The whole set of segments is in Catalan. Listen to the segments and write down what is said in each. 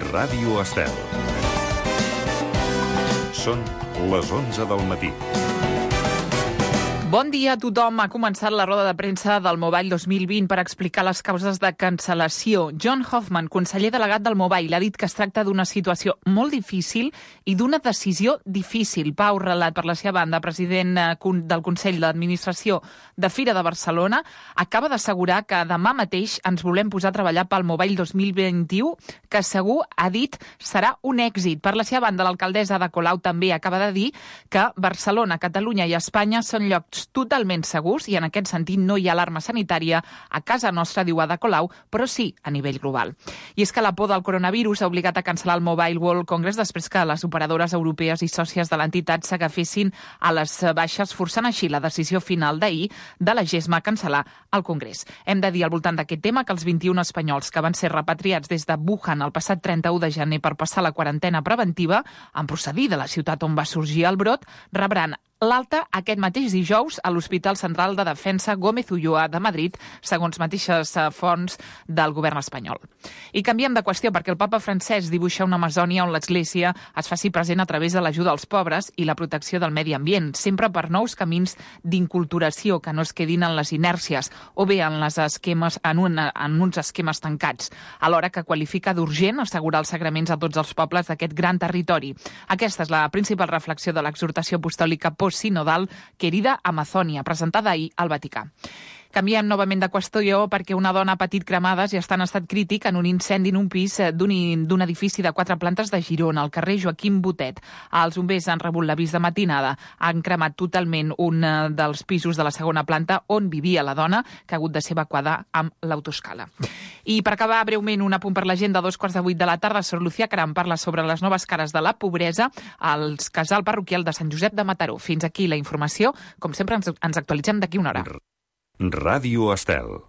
Ràdio Estel. Són les 11 del matí. Bon dia a tothom. Ha començat la roda de premsa del Mobile 2020 per explicar les causes de cancel·lació. John Hoffman, conseller delegat del Mobile, ha dit que es tracta d'una situació molt difícil i d'una decisió difícil. Pau Relat, per la seva banda, president del Consell d'Administració de Fira de Barcelona, acaba d'assegurar que demà mateix ens volem posar a treballar pel Mobile 2021, que segur, ha dit, serà un èxit. Per la seva banda, l'alcaldessa Ada Colau també acaba de dir que Barcelona, Catalunya i Espanya són llocs totalment segurs i en aquest sentit no hi ha alarma sanitària a casa nostra, diu Ada Colau, però sí a nivell global. I és que la por del coronavirus ha obligat a cancel·lar el Mobile World Congress després que les operadores europees i sòcies de l'entitat s'agafessin a les baixes, forçant així la decisió final d'ahir de la GESMA a cancel·lar el Congrés. Hem de dir al voltant d'aquest tema que els 21 espanyols que van ser repatriats des de Wuhan el passat 31 de gener per passar la quarantena preventiva, en procedir de la ciutat on va sorgir el brot, rebran l'alta aquest mateix dijous a l'Hospital Central de Defensa Gómez Ulloa de Madrid, segons mateixes fonts del govern espanyol. I canviem de qüestió perquè el papa Francesc dibuixa una Amazònia on l'Església es faci present a través de l'ajuda als pobres i la protecció del medi ambient, sempre per nous camins d'inculturació que no es quedin en les inèrcies o bé en uns esquemes tancats, alhora que qualifica d'urgent assegurar els sagraments a tots els pobles d'aquest gran territori. Aquesta és la principal reflexió de l'exhortació apostòlica sinodal Querida Amazònia, presentada ahir al Vaticà. Canviem novament de qüestió perquè una dona ha patit cremades i està en estat crític en un incendi en un pis d'un edifici de 4 plantes de Girona, al carrer Joaquim Botet. Els bombers han rebut l'avís de matinada. Han cremat totalment un dels pisos de la segona planta on vivia la dona, que ha hagut de ser evacuada amb l'autoscala. I per acabar breument un apunt per l'agenda, a 7:45 de la tarda, Sor Lucía Caram parla sobre les noves cares de la pobresa al casal parroquial de Sant Josep de Mataró. Fins aquí la informació. Com sempre, ens actualitzem d'aquí una hora. Ràdio Estel.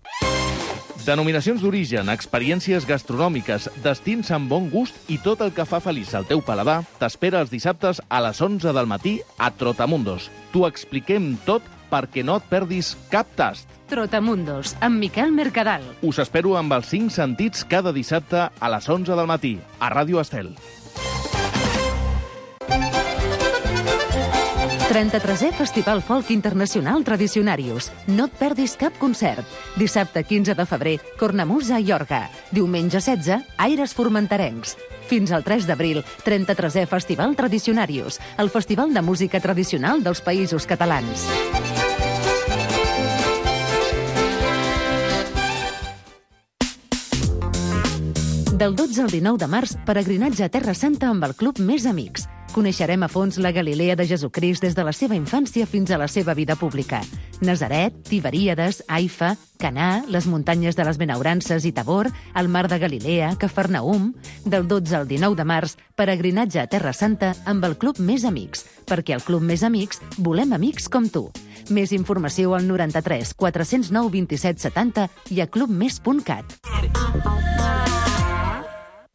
Denominacions d'origen, experiències gastronòmiques, destins amb bon gust i tot el que fa feliç al teu paladar t'espera els dissabtes a les 11 del matí a Trotamundos. T'ho expliquem tot perquè no et perdis cap tast. Trotamundos, amb Miquel Mercadal. Us espero amb els 5 sentits cada dissabte a les 11 del matí a Ràdio Estel. 33è Festival Folk Internacional Tradicionarius. No et perdis cap concert. Dissabte 15 de febrer, Cornamusa i Orga. Diumenge 16, Aires Formenterencs. Fins al 3 d'abril, 33è Festival Tradicionarius, el festival de música tradicional dels Països Catalans. Del 12 al 19 de març, peregrinatge a Terra Santa amb el Club Més Amics. Coneixerem a fons la Galilea de Jesucrist des de la seva infància fins a la seva vida pública. Nazaret, Tiberíades, Haifa, Canà, les muntanyes de les Benaurances i Tabor, el mar de Galilea, Cafarnaum... Del 12 al 19 de març, peregrinatge a Terra Santa amb el Club Més Amics, perquè al Club Més Amics volem amics com tu. Més informació al 93 409 27 70 i a clubmes.cat.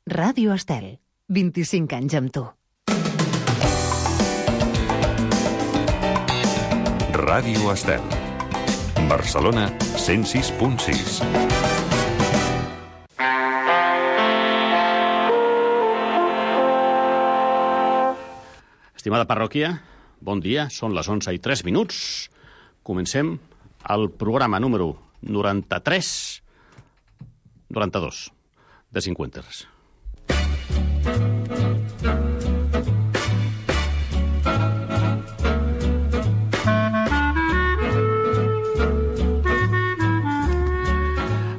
Ràdio Estel, 25 anys amb tu. Ràdio Estel. Barcelona 106.6. Estimada parròquia, bon dia, són les 11:03. Comencem el programa número 92 de 50.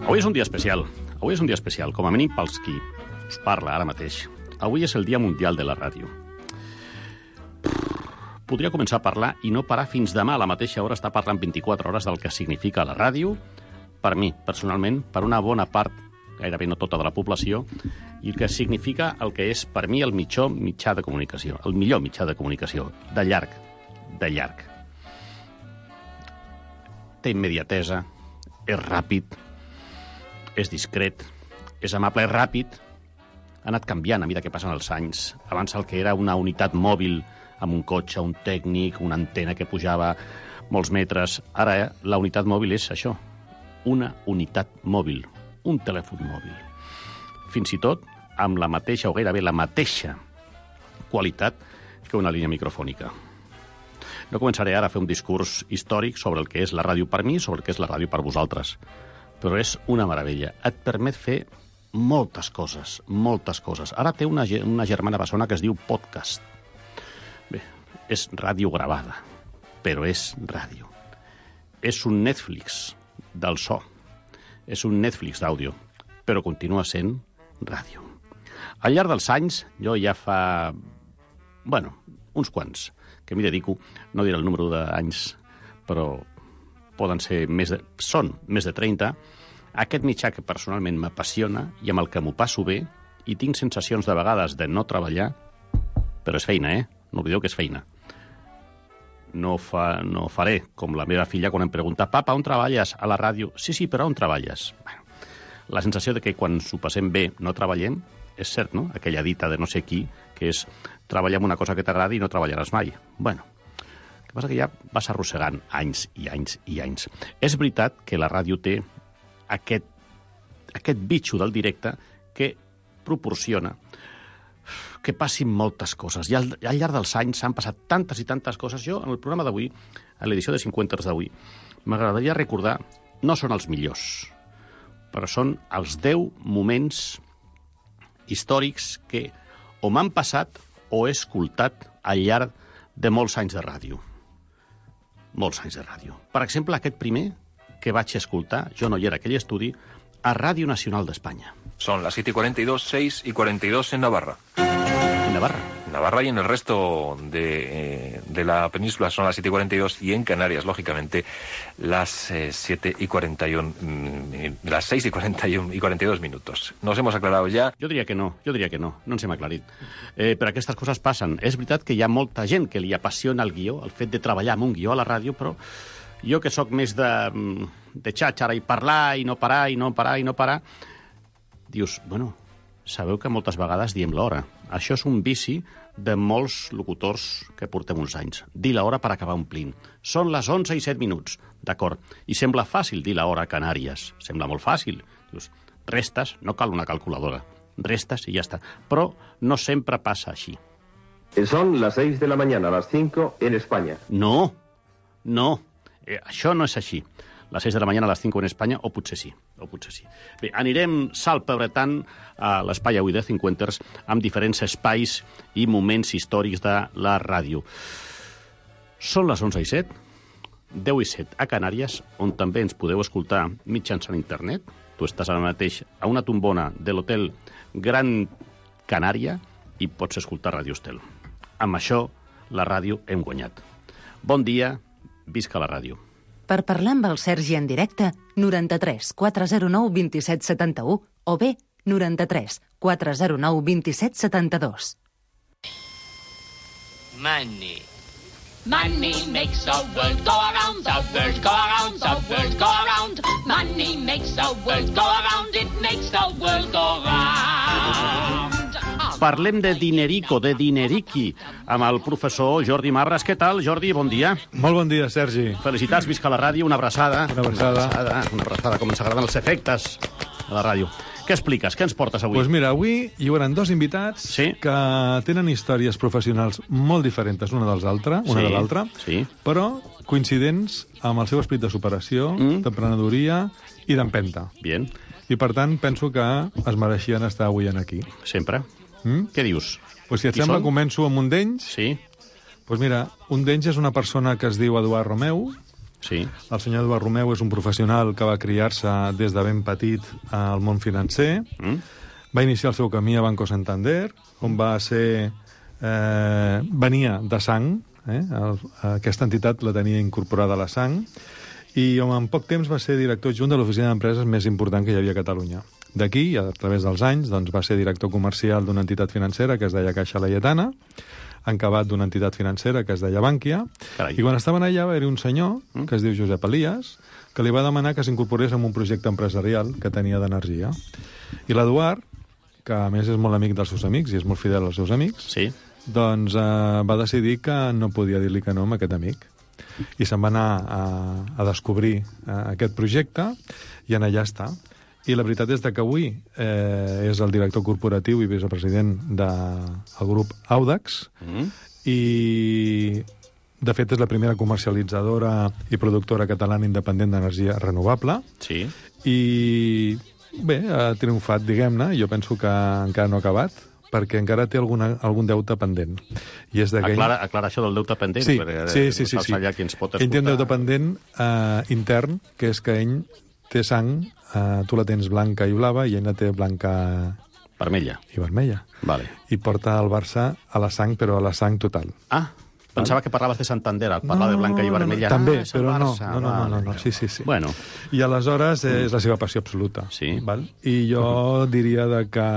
Avui és un dia especial, com a mínim pels qui us parla ara mateix. Avui és el Dia Mundial de la Ràdio. Podria començar a parlar i no parar fins demà a la mateixa hora, estar parlant 24 hores del que significa la ràdio, per mi, personalment, per una bona part, gairebé no tota de la població, i el que significa el que és, per mi, el millor mitjà de comunicació, de llarg. Té immediatesa, és ràpid, és discret, és amable, és ràpid. Ha anat canviant a mesura que passen els anys. Abans el que era una unitat mòbil amb un cotxe, un tècnic, una antena que pujava molts metres. Ara la unitat mòbil és això, una unitat mòbil, un telèfon mòbil. Fins i tot amb la mateixa, o gairebé la mateixa, qualitat que una línia microfònica. No començaré ara a fer un discurs històric sobre el que és la ràdio per mi, sobre el que és la ràdio per vosaltres, però és una meravella. Et permet fer moltes coses, moltes coses. Ara té una germana bessona que es diu podcast. Bé, és ràdio gravada, però és ràdio. És un Netflix del so, és un Netflix d'àudio, però continua sent ràdio. Al llarg dels anys, jo ja fa, uns quants, que m'hi dedico, no diré el número d'anys, però són més de 30, aquest mitjà que personalment m'apassiona i amb el que m'ho passo bé, i tinc sensacions de vegades de no treballar, però és feina, No oblideu que és feina. No faré com la meva filla quan em pregunta «Papa, on treballes? A la ràdio?» Sí, però on treballes? Bueno, la sensació de que quan s'ho passem bé no treballem és cert, no? Aquella dita de no sé qui, que és treballar en una cosa que t'agradi i no treballaràs mai. Bueno, el que passa que ja vas arrossegant anys i anys i anys. És veritat que la ràdio té aquest bitxo del directe que proporciona que passin moltes coses. I al llarg dels anys s'han passat tantes i tantes coses. Jo, en el programa d'avui, a l'edició de 50 d'avui, m'agradaria recordar, no són els millors, però són els 10 moments històrics que o m'han passat o he escoltat al llarg de molts anys de ràdio. Molts anys de ràdio. Per exemple, aquest primer que vaig escoltar, jo no hi era a aquell estudi, a Ràdio Nacional d'Espanya. Son las 7:42, 6:42 en Navarra. En Navarra. Navarra y en el resto de la península son las 7:42 y en Canarias, lógicamente, las 7:41, las 6:41 minutos. Nos hemos aclarado ja. Jo diria que no ens hem aclarit. Però aquestes coses passen. És veritat que hi ha molta gent que li apassiona el guió, el fet de treballar amb un guió a la ràdio, però jo que sóc més de xàxara i parlar i no parar, i no parar, i no parar, dius, sabeu que moltes vegades diem l'hora. Això és un vici de molts locutors que portem uns anys. Dir l'hora per acabar omplint. Són les 11:07, d'acord. I sembla fàcil dir l'hora a Canàries. Sembla molt fàcil. Dius, restes, no cal una calculadora. Restes i ja està. Però no sempre passa així. Son las 6 de la mañana, las 5 en España. No. Això no és així. Les 6 de la mañana a les 5 en Espanya, o potser sí. Bé, anirem salpebretant a l'espai avui de 50ers amb diferents espais i moments històrics de la ràdio. Són les 11:07, 10:07 a Canàries, on també ens podeu escoltar mitjançant internet. Tu estàs ara mateix a una tombona de l'hotel Gran Canària i pots escoltar Ràdio Estel. Amb això, la ràdio hem guanyat. Bon dia, visca la ràdio. Per parlar amb el Sergi en directe, 93 409 27 71 o bé 93 409 27 72. Money. Money makes the world go around, the world go around, the world go around. Money makes the world go around, it makes the world go round. Parlem de dinerico, de dineriqui, amb el professor Jordi Mabras. Què tal, Jordi? Bon dia. Molt bon dia, Sergi. Felicitats, visca la ràdio, una abraçada. Una abraçada, com ens agraden els efectes a la ràdio. Què expliques? Què ens portes avui? Doncs mira, avui hi haurà 2 invitats que tenen històries professionals molt diferents una de l'altra, però coincidents amb el seu esperit de superació, d'emprenedoria i d'empenta. Bien. I, per tant, penso que es mereixien estar avui aquí. Sempre. Què dius? Pues si et sembla, començo amb un d'ells. Sí. Pues mira, un d'ells és una persona que es diu Eduard Romeu. Sí. El senyor Eduard Romeu és un professional que va criar-se des de ben petit al món financer. Va iniciar el seu camí a Banco Santander, on va ser... venia de sang. Aquesta entitat la tenia incorporada a la sang. I en poc temps va ser director adjunt de l'oficina d'empreses més important que hi havia a Catalunya. D'aquí, a través dels anys, doncs, va ser director comercial d'una entitat financera que es deia Caixa Laietana, encabat d'una entitat financera que es deia Bànquia, i quan estaven allà va haver un senyor, que es diu Josep Elias, que li va demanar que s'incorporés en un projecte empresarial que tenia d'energia. I l'Eduard, que a més és molt amic dels seus amics i és molt fidel als seus amics, doncs va decidir que no podia dir-li que no a aquest amic. I se'n va anar a descobrir aquest projecte i en allà està. I la veritat és que avui és el director corporatiu i vicepresident del grup Audax, i de fet és la primera comercialitzadora i productora catalana independent d'energia renovable. Sí. I bé, ha triomfat, diguem-ne, jo penso que encara no ha acabat, perquè encara té algun deute pendent. I és aclara això del deute pendent, sí, perquè sí. allà qui ens pot escoltar. Ell té un deute pendent intern, que és que ell té sang, tu la tens blanca i blava, i ell la té blanca vermella. I vermella. Vale. I porta el Barça a la sang, però a la sang total. Ah, pensava que parlaves de Santander, al parlar de blanca i vermella. També, és però Barça, no. Sí. Bueno. I aleshores és la seva passió absoluta. Sí. Val? I jo diria que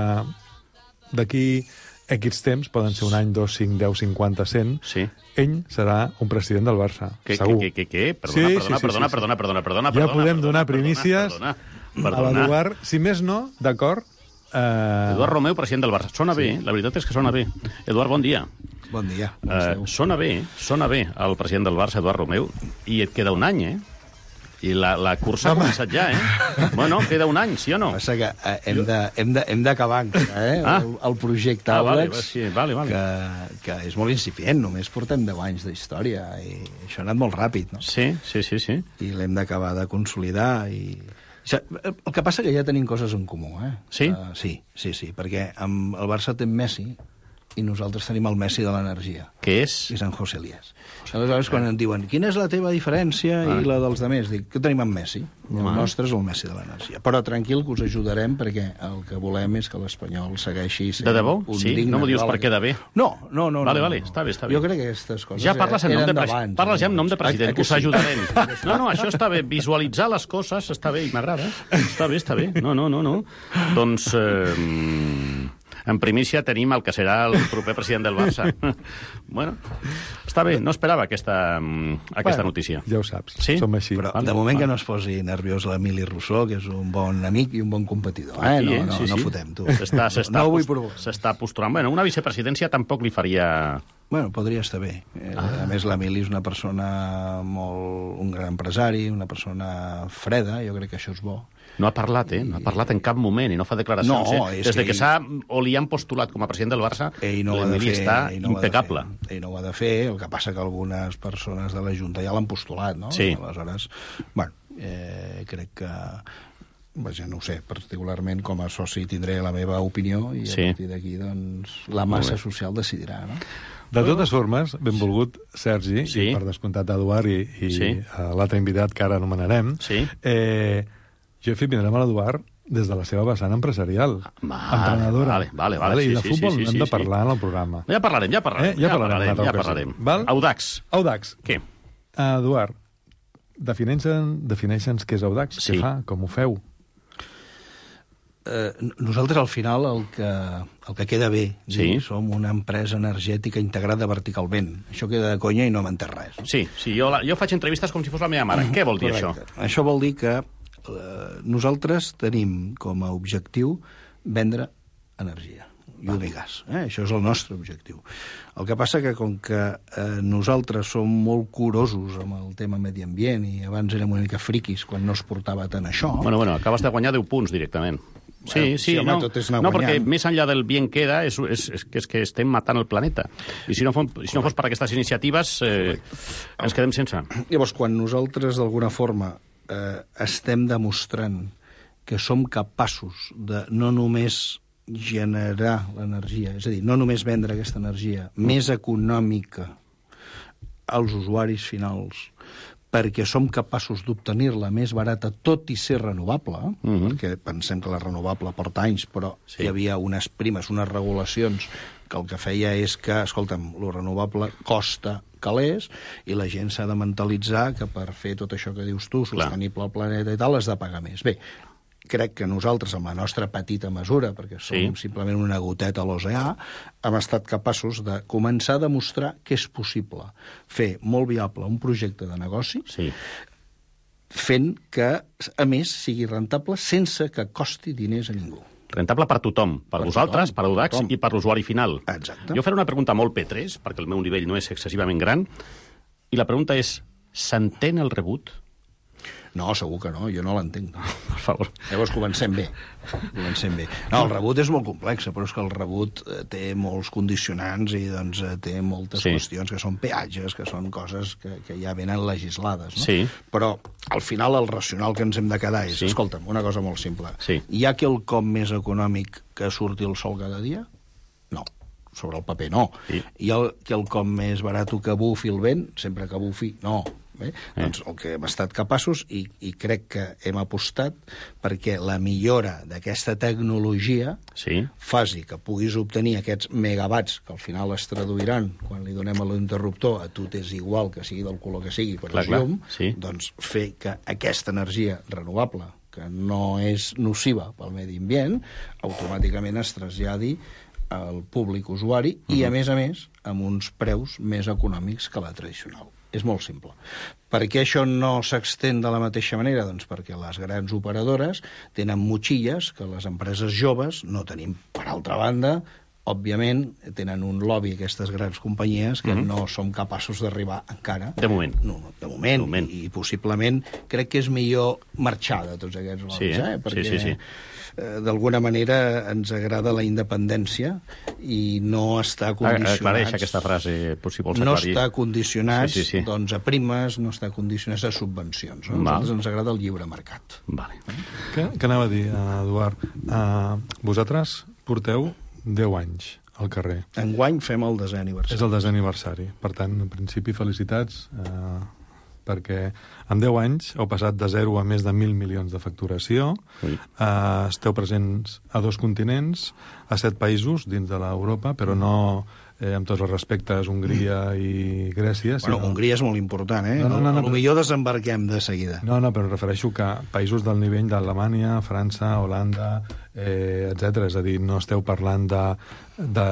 d'aquí X temps, poden ser un any, 2, 5, 10, 50, 100, sí. Ell serà un president del Barça, segur. Què? Perdona. Ja podem donar primícies a l'Eduard. Si més no, d'acord... Eduard Romeu, president del Barça. Sona bé, la veritat és que sona bé. Eduard, bon dia. Bon dia. Sona bé el president del Barça, Eduard Romeu, i et queda un any, I la cursa ha començat ja, Bueno, queda un any, sí o no? Passa que hem d'acabar encara, el projecte Audax, vale. que és molt incipient, només portem 10 anys d'història, i això ha anat molt ràpid, no? Sí. I l'hem d'acabar de consolidar, i... El que passa que ja tenim coses en comú, Sí? Sí, perquè amb el Barça té Messi, i nosaltres tenim el Messi de l'energia. Què és? I Sant José Elías. Aleshores, quan em diuen, quina és la teva diferència i la dels demés? Dic, què tenim amb Messi? El nostre és el Messi de l'energia. Però tranquil, que us ajudarem, perquè el que volem és que l'Espanyol segueixi sent de debò? un Sí? digne... No m'ho dius perquè de bé? No. Vale, està bé. Jo crec que aquestes coses ja parles en nom de president. Parles ja en nom de president, us ajudarem. No, això està bé. Visualitzar les coses està bé i m'agrada. Està bé. No. Doncs... En primícia tenim el que serà el proper president del Barça. Bueno, està bé, no esperava aquesta notícia. Ja ho saps, sí? Som així. Però de moment que no es posi nerviós l'Emili Rousseau, que és un bon amic i un bon competidor. No fotem, tu. No ho vull provocar. S'està posturant. Bueno, una vicepresidència tampoc li faria... Bueno, podria estar bé. A més, l'Emili és una persona un gran empresari, una persona freda, jo crec que això és bo. No ha parlat, No ha parlat en cap moment i no fa declaracions. Des que li han postulat com a president del Barça, l'Emili està impecable. Ell no ho ha de fer, el que passa que algunes persones de la Junta ja l'han postulat, no? Sí. Aleshores, crec que... no ho sé, particularment com a soci tindré la meva opinió i a partir d'aquí, doncs, la massa social decidirà, no? De totes formes, benvolgut Sergi, i per descomptat Eduard i l'altre invitat que ara anomenarem, jo he fet vindrem a l'Eduard des de la seva vessant empresarial, emprenedora. Vale. I de futbol n'hem de parlar en el programa. Ja parlarem. Audax. Què? Eduard, defineixen què és Audax, què fa, com ho feu? Nosaltres, al final, el que queda bé, som una empresa energètica integrada verticalment. Això queda de conya i no m'entès res. Sí, jo faig entrevistes com si fos la meva mare. Què vol dir això? Això vol dir que nosaltres tenim com a objectiu vendre energia, llum i gas. Això és el nostre objectiu. El que passa que, com que nosaltres som molt curosos amb el tema medi ambient i abans érem una mica friquis quan no es portava tant això... Bueno, acabes de guanyar 10 punts directament. Perquè més enllà del bien queda és que estem matant el planeta. I si no fos per aquestes iniciatives ens quedem sense. Llavors, quan nosaltres d'alguna forma estem demostrant que som capaços de no només generar l'energia, és a dir, no només vendre aquesta energia més econòmica als usuaris finals, perquè som capaços d'obtenir-la més barata, tot i ser renovable, perquè pensem que la renovable porta anys, però hi havia unes primes, unes regulacions, que el que feia és que, escolta'm, lo renovable costa calés, i la gent s'ha de mentalitzar que per fer tot això que dius tu, sostenible al planeta i tal, has de pagar més. Bé, crec que nosaltres, amb la nostra petita mesura, perquè som simplement una goteta a l'oceà, hem estat capaços de començar a demostrar que és possible fer molt viable un projecte de negoci, fent que, a més, sigui rentable sense que costi diners a ningú. Rentable per tothom, per vosaltres, per Audax i per l'usuari final. Exacte. Jo faré una pregunta molt P3, perquè el meu nivell no és excessivament gran, i la pregunta és, s'entén el rebut? No, segur que no, jo no l'entenc. Per favor. Llavors comencem bé. No, el rebut és molt complex, però és que el rebut té molts condicionants i doncs, té moltes qüestions que són peatges, que són coses que ja venen legislades. No? Sí. Però al final el racional que ens hem de quedar és, escolta'm, una cosa molt simple. Hi ha quelcom més econòmic que surti el sol cada dia? No. Sobre el paper, no. Hi ha quelcom més barat que bufi el vent? Sempre que bufi, no. Doncs el que hem estat capaços, i crec que hem apostat perquè la millora d'aquesta tecnologia faci que puguis obtenir aquests megawatts, que al final es traduiran, quan li donem a l'interruptor, a tu t'és igual que sigui del color que sigui, però és llum, doncs fer que aquesta energia renovable, que no és nociva pel medi ambient, automàticament es traslladi al públic usuari i, a més, amb uns preus més econòmics que la tradicional. És molt simple. Per què això no s'extén de la mateixa manera? Doncs perquè les grans operadores tenen motxilles que les empreses joves no tenim. Per altra banda, òbviament, tenen un lobby, aquestes grans companyies, que no som capaços d'arribar encara. De moment. No, de moment. I possiblement crec que és millor marxar de tots aquests lobbys, perquè d'alguna manera ens agrada la independència i no està condicionats... Aclareix aquesta frase, si vols aclarir. No està condicionats doncs, a primes, no està condicionats a subvencions. No? A nosaltres ens agrada el lliure mercat. Vale. Què anava a dir, Eduard? Vosaltres porteu 10 anys al carrer. Enguany fem el 10è aniversari. És el 10è aniversari. Per tant, en principi, felicitats, perquè en 10 anys heu passat de 0 a més de 1.000 milions de facturació, esteu presents a 2 continents, a 7 països dins de l'Europa, però no, amb tots els respectes, Hongria i Grècia. Bueno, Hongria és molt important, eh? Potser desembarquem de seguida. No, però refereixo que països del nivell d'Alemanya, França, Holanda, etc. És a dir, no esteu parlant de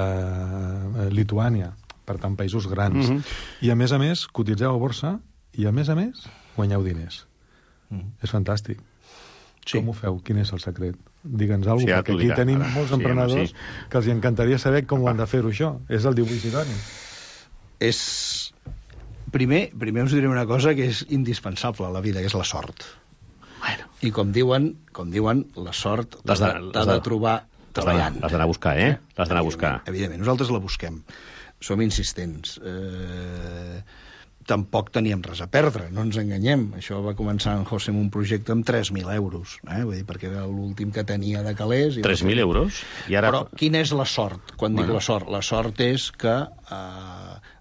Lituània, per tant, països grans. I, a més, cotitzeu a borsa i, a més, guanyeu diners. És fantàstic. Com ho feu? Quin és el secret? Digue'ns alguna cosa, perquè aquí tenim molts emprenedors que els encantaria saber com ho han de fer-ho, això. És el dibuix idoni. Primer us diré una cosa que és indispensable a la vida, que és la sort. I com diuen, la sort t'ha de trobar treballant. L'has d'anar a buscar, L'has d'anar a buscar. Evidentment, nosaltres la busquem. Som insistents. Tampoc teníem res a perdre, no ens enganyem. Això va començar en José amb un projecte amb 3.000 euros, vull dir, perquè era l'últim que tenia de calés. 3.000 euros? Però quina és la sort? Quan dic la sort? La sort és que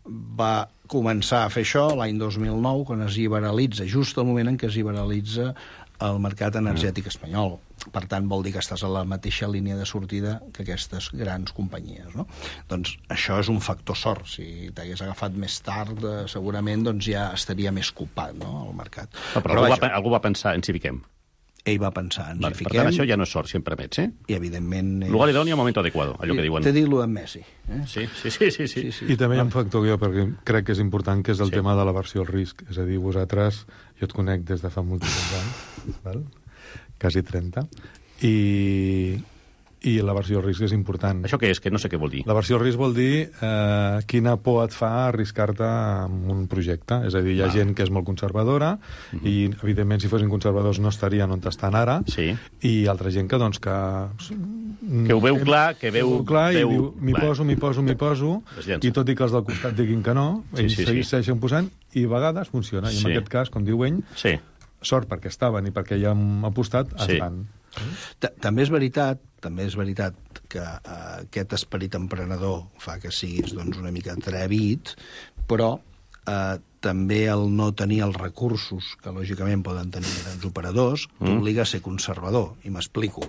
va començar a fer això l'any 2009, quan es liberalitza, just al moment en què es liberalitza el mercat energètic espanyol. Per tant, vol dir que estàs a la mateixa línia de sortida que aquestes grans companyies, no? Doncs això és un factor sort. Si t'hagués agafat més tard, segurament doncs ja estaria més copat, no?, el mercat. Però algú va pensar, ens hi fiquem. Ell va pensar, ens hi fiquem. Per tant, això ja no és sort, sempre permets, I, evidentment... Lugar idoni al moment adequado, allò que diuen. T'he dit lo de Messi. Sí. I també hi ha un factor que jo crec que és important, que és el tema de l'aversió al risc. És a dir, vosaltres, jo et conec des de fa moltíssims anys, val? Quasi 30, i l'aversió al risc és important. Això què és? Que no sé què vol dir. L'aversió al risc vol dir quina por et fa arriscar-te en un projecte. És a dir, hi ha gent que és molt conservadora i, evidentment, si fossin conservadors no estarien on estan ara, i altra gent que, doncs, que ho veu clar, que veu clar i diu, m'hi poso, i tot i que els del costat diguin que no, ells segueixen posant, i a vegades funciona. I en aquest cas, com diu ell, sort perquè estaven i perquè ja hem apostat, estan. També és veritat que aquest esperit emprenedor fa que siguis doncs, una mica atrevit, però també el no tenir els recursos que lògicament poden tenir grans operadors t'obliga a ser conservador, i m'explico.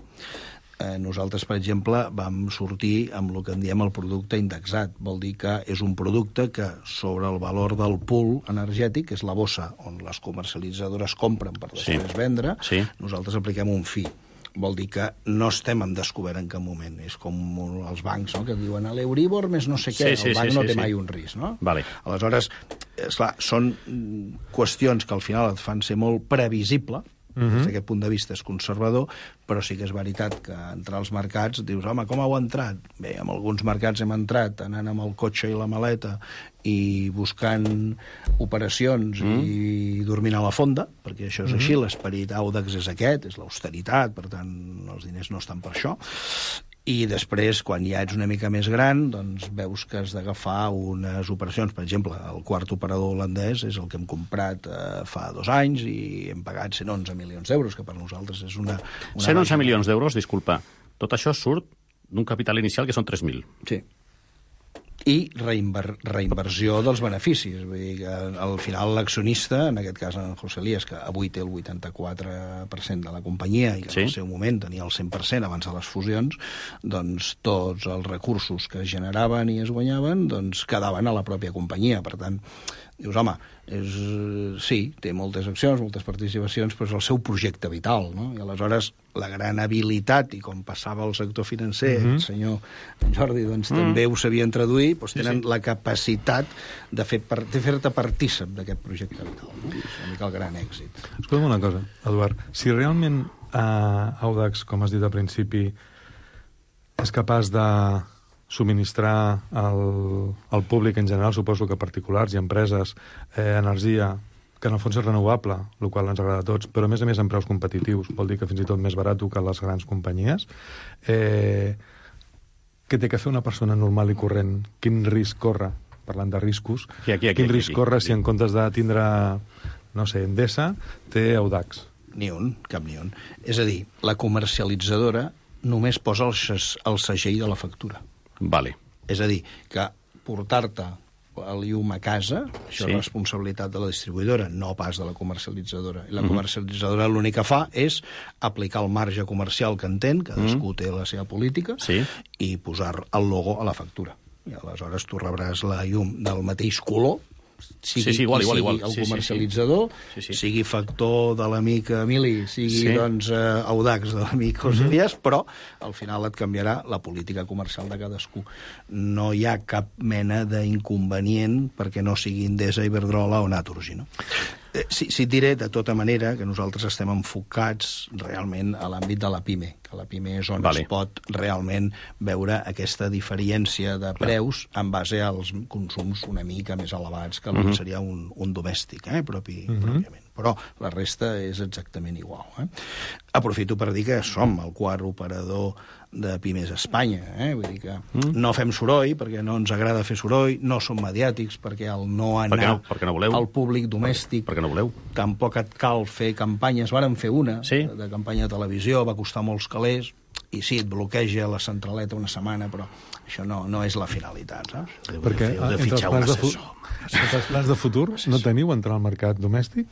Nosaltres, per exemple, vam sortir amb el que en diem el producte indexat. Vol dir que és un producte que sobre el valor del pool energètic, que és la bossa on les comercialitzadores compren per després vendre, nosaltres apliquem un fi. Vol dir que no estem en descobert en cap moment. És com els bancs, no?, que diuen a l'Euribor més no sé què, el banc no té mai un risc, no? Aleshores, esclar, són qüestions que al final et fan ser molt previsible, des d'aquest punt de vista és conservador, però sí que és veritat que entrar als mercats, dius, home, com heu entrat? Bé, en alguns mercats hem entrat anant amb el cotxe i la maleta i buscant operacions i dormint a la fonda, perquè això és així, l'esperit Audax és aquest, és l'austeritat, per tant, els diners no estan per això. I després, quan ja ets una mica més gran, doncs veus que has d'agafar unes operacions. Per exemple, el quart operador holandès és el que hem comprat fa 2 anys i hem pagat 111 milions d'euros, que per nosaltres és una 111 milions d'euros, disculpa. Tot això surt d'un capital inicial que són 3.000. Sí. I reinversió dels beneficis. Vull dir que al final l'accionista, en aquest cas en José Elías, que avui té el 84% de la companyia i que en el seu moment tenia el 100% abans de les fusions, doncs tots els recursos que es generaven i es guanyaven doncs quedaven a la pròpia companyia. Per tant, dius, home, sí, té moltes accions, moltes participacions, però és el seu projecte vital, no? I aleshores la gran habilitat, i com passava al sector financer, el senyor Jordi doncs, també ho sabien traduir, doncs tenen la capacitat de fer-te partícip d'aquest projecte vital. No? És una mica el gran èxit. Escolta'm una cosa, Eduard. Si realment Audax, com has dit al principi, és capaç de subministrar al públic en general, suposo que particulars i empreses, energia que en el fons és renovable, el qual ens agrada a tots, però a més en preus competitius, vol dir que fins i tot més barat que les grans companyies. Què té que fer una persona normal i corrent? Quin risc corre, parlant de riscos, quin risc corre si en comptes de tindre, no sé, Endesa, té Audax? Ni un, cap ni un. És a dir, la comercialitzadora només posa el segell de la factura. Vale. És a dir, que portar-te el llum a casa, això és responsabilitat de la distribuïdora, no pas de la comercialitzadora. I la comercialitzadora l'únic que fa és aplicar el marge comercial que entén, cadascú té la seva política, i posar el logo a la factura. I aleshores tu rebràs la llum del mateix color, sigui igual. el comercialitzador, sigui factor de l'amic Emili, sigui doncs Audax de l'amic José Elías, però al final et canviarà la política comercial de cadascú. No hi ha cap mena d'inconvenient perquè no sigui Endesa, Iberdrola o Naturgy, no? Sí, et diré, de tota manera, que nosaltres estem enfocats realment a l'àmbit de la PIME, que la PIME és on es pot realment veure aquesta diferència de preus en base als consums una mica més elevats que el que seria un domèstic, pròpiament. Però la resta és exactament igual. Aprofito per dir que som el quart operador de Pimes a Espanya. Vull dir que no fem soroll, perquè no ens agrada fer soroll, no som mediàtics, perquè el no anar al públic domèstic tampoc et cal fer campanyes. Vàrem fer una de campanya de televisió, va costar molts calés, i sí, et bloqueja la centraleta una setmana, però això no és la finalitat, saps? Perquè entre els plans de futur no teniu entrar al mercat domèstic?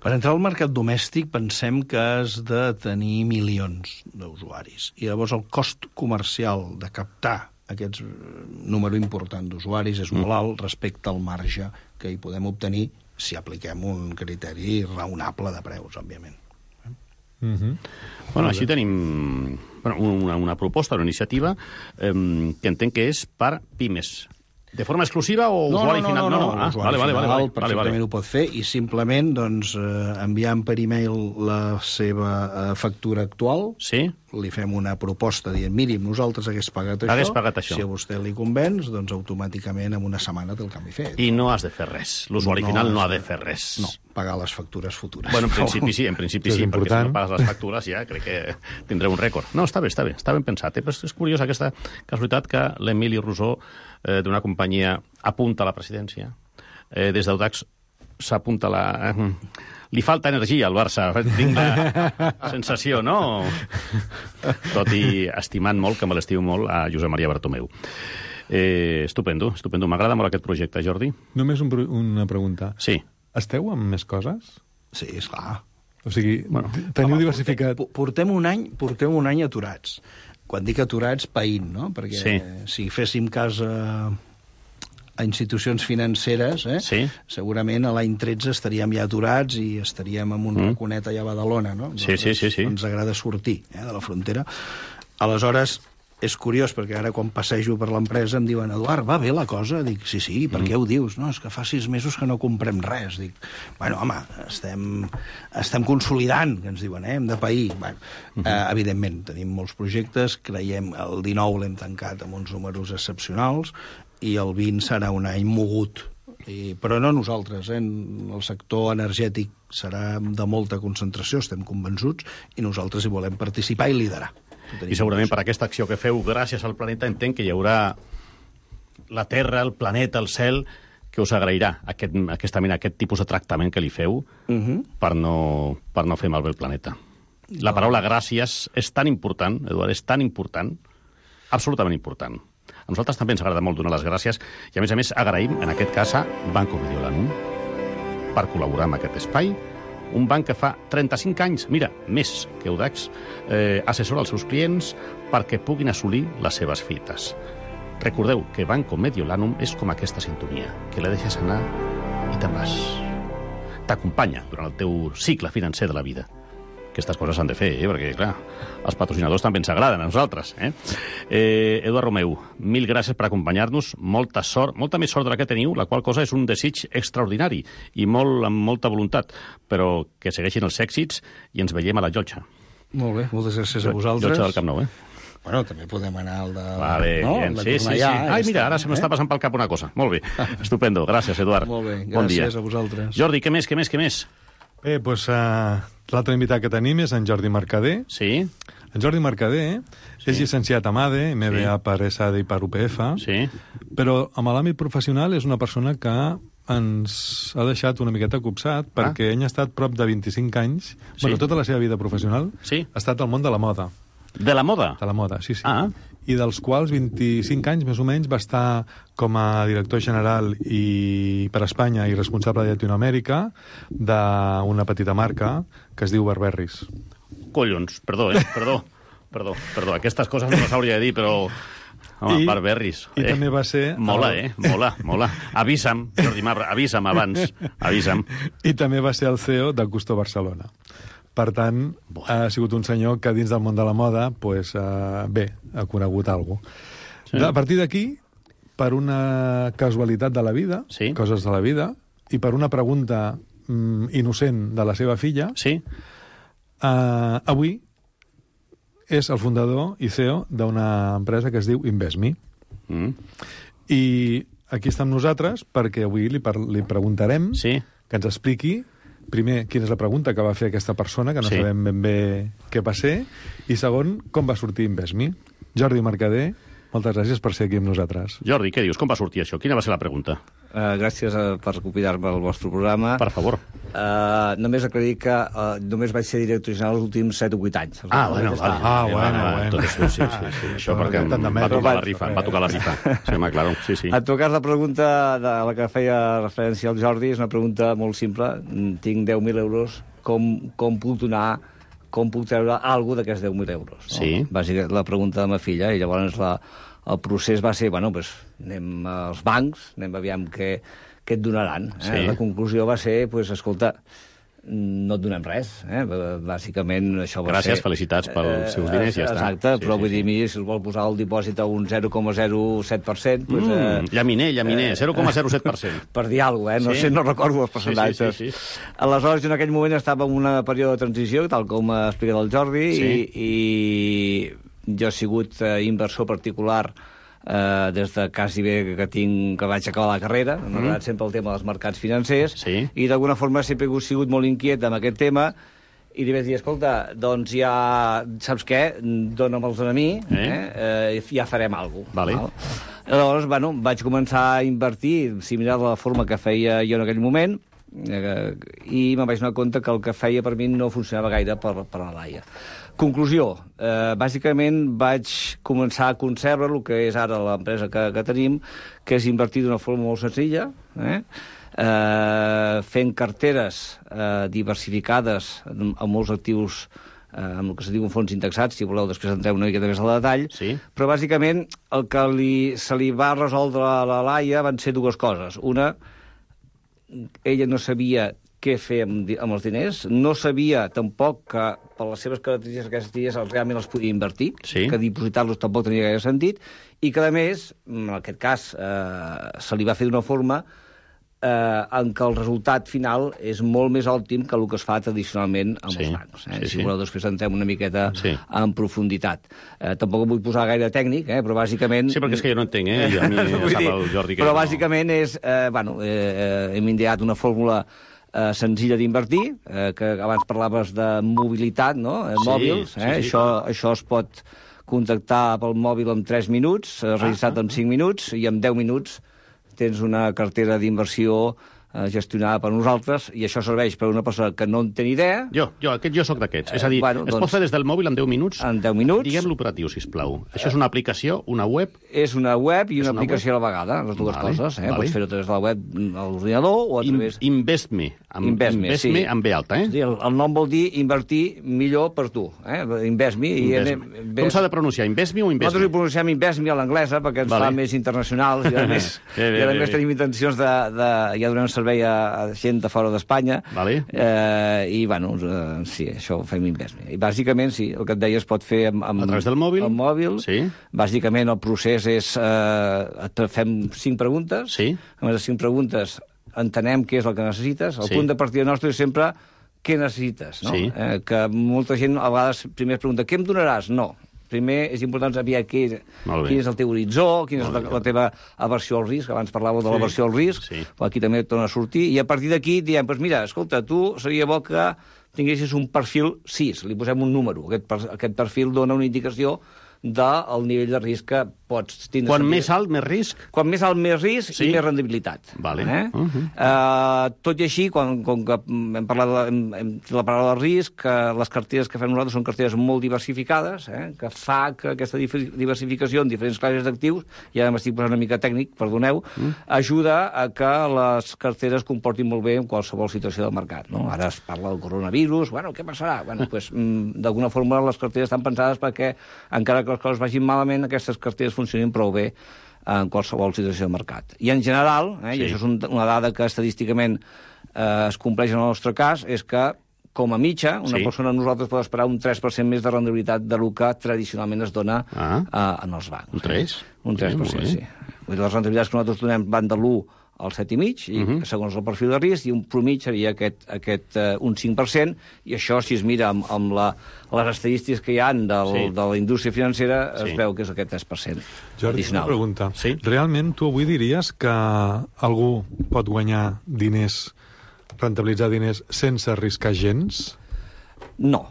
Per entrar al mercat domèstic pensem que has de tenir milions d'usuaris. I llavors el cost comercial de captar aquest número important d'usuaris és molt alt respecte al marge que hi podem obtenir si apliquem un criteri raonable de preus, òbviament. Bueno, així tenim una proposta, una iniciativa que entenc que és per pimes. De forma exclusiva o usuari final? No, usuari final perfectament ho pot fer i simplement enviant per e-mail la seva factura actual, li fem una proposta dient, miri, nosaltres hagués pagat això, si a vostè li convenç, doncs automàticament en una setmana té el canvi fet. I no has de fer res, l'usuari final no ha de fer res. No, pagar les factures futures. Bueno, en principi sí, perquè si no pagues les factures ja crec que tindré un rècord. No, està ben pensat, però és curiós aquesta casualitat que l'Emili Rosó d'una companyia apunta a la presidència. Des d'Audax s'apunta li falta energia al Barça, tinc la sensació, no? Tot i estimant molt, que me l'estimo molt, a Josep Maria Bartomeu. Estupendo. M'agrada molt aquest projecte, Jordi. Només una pregunta. Sí. Esteu amb més coses? Sí, esclar. O sigui, teniu diversificat... Portem un any aturats. Quan dic aturats, païnt, no? Perquè si féssim cas a institucions financeres, segurament a l'any 13 estaríem ja aturats i estaríem amb un raconet allà a Badalona, no? Sí. Ens agrada sortir de la frontera. Aleshores, és curiós, perquè ara quan passejo per l'empresa em diuen, Eduard, va bé la cosa? Dic, sí, per què ho dius? No, és que fa 6 mesos que no comprem res. Dic, bueno, home, estem consolidant, que ens diuen, hem de pair. Bueno, evidentment, tenim molts projectes, creiem, el 19 l'hem tancat amb uns números excepcionals, i el 20 serà un any mogut. Però no nosaltres, el sector energètic serà de molta concentració, estem convençuts, i nosaltres hi volem participar i liderar. I segurament per aquesta acció que feu gràcies al planeta entenc que hi haurà la Terra, el planeta, el cel, que us agrairà aquest tipus de tractament que li feu per no fer malbé el planeta. La paraula gràcies és tan important, Eduard, és tan important, absolutament important. A nosaltres també ens agrada molt donar les gràcies i, a més, agraïm, en aquest cas, a Banco Mediolanum per col·laborar amb aquest espai. Un banc que fa 35 anys, mira, més que Audax, assessora els seus clients perquè puguin assolir les seves fites. Recordeu que Banco Mediolanum és com aquesta sintonia, que la deixes anar i te'n vas. T'acompanya durant el teu cicle financer de la vida. Aquestes coses s'han de fer, perquè, clar, els patrocinadors també ens agraden a nosaltres. Eduard Romeu, mil gràcies per acompanyar-nos, molta sort, molta més sort de la que teniu, la qual cosa és un desig extraordinari i amb molta voluntat, però que segueixin els èxits i ens veiem a la Llotja. Molt bé, moltes gràcies a vosaltres. Llotja del Camp Nou, Bueno, també podem anar al de... Vale, no? Sí. Ai, mira, ara se m'està passant pel cap una cosa. Molt bé, estupendo. Gràcies, Eduard. Molt bé, bon dia. Gràcies a vosaltres. Jordi, què més? Bé, doncs l'altre invitat que tenim és en Jordi Mercader. Sí. En Jordi Mercader és llicenciat a MADE, MBA per ESADE i per UPF, però amb l'àmbit professional és una persona que ens ha deixat una miqueta copsat perquè ell ha estat prop de 25 anys, tota la seva vida professional ha estat al món de la moda. De la moda? De la moda, sí. I dels quals 25 anys, més o menys, va estar com a director general i per Espanya i responsable de Llatinoamèrica d'una petita marca que es diu Burberrys. Collons, perdó. Aquestes coses no les hauria de dir, però... Home, Burberrys. I també va ser... Mola. Avisa'm, Jordi Mabra, avisa'm abans. Avisa'm. I també va ser el CEO de Gusto Barcelona. Per tant, ha sigut un senyor que dins del món de la moda, ha conegut alguna cosa. A partir d'aquí, per una casualitat de la vida, coses de la vida, i per una pregunta innocent de la seva filla, avui és el fundador i CEO d'una empresa que es diu InvestMe. I aquí estem nosaltres perquè avui li preguntarem que ens expliqui primer, quina és la pregunta que va fer aquesta persona, que no sabem ben bé què va ser, i segon, com va sortir InvestMe. Jordi Mercader, moltes gràcies per ser aquí amb nosaltres. Jordi, què dius? Com va sortir això? Quina va ser la pregunta? Gràcies per convidar-me al vostre programa. Per favor. Només aclarir que només vaig ser director general els últims 7 o 8 anys. Bueno. Sí. Això perquè va tocar la rifa. Sí. En tot cas, la pregunta de la que feia referència al Jordi és una pregunta molt simple. Tinc 10.000 euros. Com puc donar... Com puc treure alguna d'aquests 10.000 euros? Sí. Bàsicament, la pregunta de ma filla, i llavors el procés va ser, anem als bancs, anem a aviam què et donaran. La conclusió va ser, escolta, no et donem res. Bàsicament, això va ser... Gràcies, felicitats pels seus diners, ja està. Exacte, però vull dir, si es vol posar el dipòsit a un 0,07%... Llaminer, 0,07%. Per dir alguna cosa, no recordo els percentatges. Sí. Aleshores, en aquell moment estava en un període de transició, tal com ha explicat el Jordi, i jo he sigut inversor particular des de quasi bé que vaig acabar la carrera. M'ha agradat sempre el tema dels mercats financers i d'alguna forma sempre he sigut molt inquiet amb aquest tema i li vaig dir, escolta, doncs ja saps què, dóna'm-los a mi, ja farem alguna cosa. Aleshores, vaig començar a invertir similar a la forma que feia jo en aquell moment i me'n vaig donar compte que el que feia per mi no funcionava gaire per la Laia. Conclusió, bàsicament vaig començar a concebre el que és ara l'empresa que tenim, que és invertir d'una forma molt senzilla, fent carteres diversificades amb molts actius, amb el que se diu fons indexats, si voleu després entrem una miqueta més al detall, però bàsicament el que se li va resoldre a la Laia van ser dues coses. Una, ella no sabia què fer amb els diners. No sabia tampoc que, per les seves característiques aquests dies, realment els podia invertir, que dipositar-los tampoc tenia gaire sentit, i que, a més, en aquest cas, se li va fer d'una forma en què el resultat final és molt més òptim que el que es fa tradicionalment amb els bancs. Si voleu, després entrem una miqueta en profunditat. Tampoc em vull posar gaire tècnic, però bàsicament... Sí, perquè és que jo no entenc, a mi sap el Jordi que... Però bàsicament és... hem ideat una fórmula senzilla d'invertir, que abans parlaves de mobilitat, no? Mòbils, això es pot contactar pel mòbil en 3 minuts, registrat en 5 minuts, i en 10 minuts tens una cartera d'inversió gestionada per nosaltres, i això serveix per a una persona que no en té ni idea. Jo soc d'aquests. És a dir, es pot fer des del mòbil en 10 minuts? En 10 minuts. Diguem l'operatiu, sisplau. Això és una aplicació, una web? És una web i una aplicació a la vegada, les dues coses. Pots fer-ho a través de la web a l'ordinador o a través... Invest.me, amb B alta, El nom vol dir invertir millor per tu. Invest.me. Com s'ha de pronunciar, Invest.me o Invest.me? Nosaltres hi pronunciem Invest.me a l'anglesa perquè ens fa més internacionals, i a més tenim intencions de... Ja donem servei a gent de fora d'Espanya, i, sí, això ho fem Invest.me. I bàsicament, sí, el que et deia es pot fer a través del mòbil? Al mòbil. Bàsicament, el procés és... fem 5 preguntes. Amb les 5 preguntes entenem què és el que necessites. El punt de partida nostre és sempre què necessites, no? Que molta gent a vegades primer es pregunta què em donaràs? No. Primer és important saber quin és el teu horitzó, quina és la teva aversió al risc. Abans parlàveu de l'aversió al risc, però aquí també torna a sortir. I a partir d'aquí diem, mira, escolta, tu seria bo que tinguessis un perfil 6, li posem un número. Aquest perfil dona una indicació del nivell de risc que pots tindre. Quan més alt, més risc? Quan més alt, més risc i més rendibilitat. Tot i així, com que hem parlat de la paraula de risc, les carteres que fem nosaltres són carteres molt diversificades, que fa que aquesta diversificació en diferents classes d'actius, i ara m'estic posant una mica tècnic, perdoneu, ajuda a que les carteres comportin molt bé en qualsevol situació del mercat. Ara es parla del coronavirus, què passarà? D'alguna forma les carteres estan pensades perquè, encara que les coses vagin malament, aquestes carteres funcionin prou bé en qualsevol situació de mercat. I en general, i això és una dada que estadísticament es compleix en el nostre cas, és que, com a mitja, una persona nosaltres pot esperar un 3% més de rendibilitat del que tradicionalment es dona en els bancs. Un 3? Un 3%, sí. Les rendibilitats que nosaltres donem van de l'1 al 7,5, i segons el perfil de risc, i un promig seria un 5%, i això, si es mira amb les estadístiques que hi ha de la indústria financera, es veu que és aquest 3% Jordi, una pregunta. Realment, tu avui diries que algú pot guanyar diners, rentabilitzar diners, sense arriscar gens? No.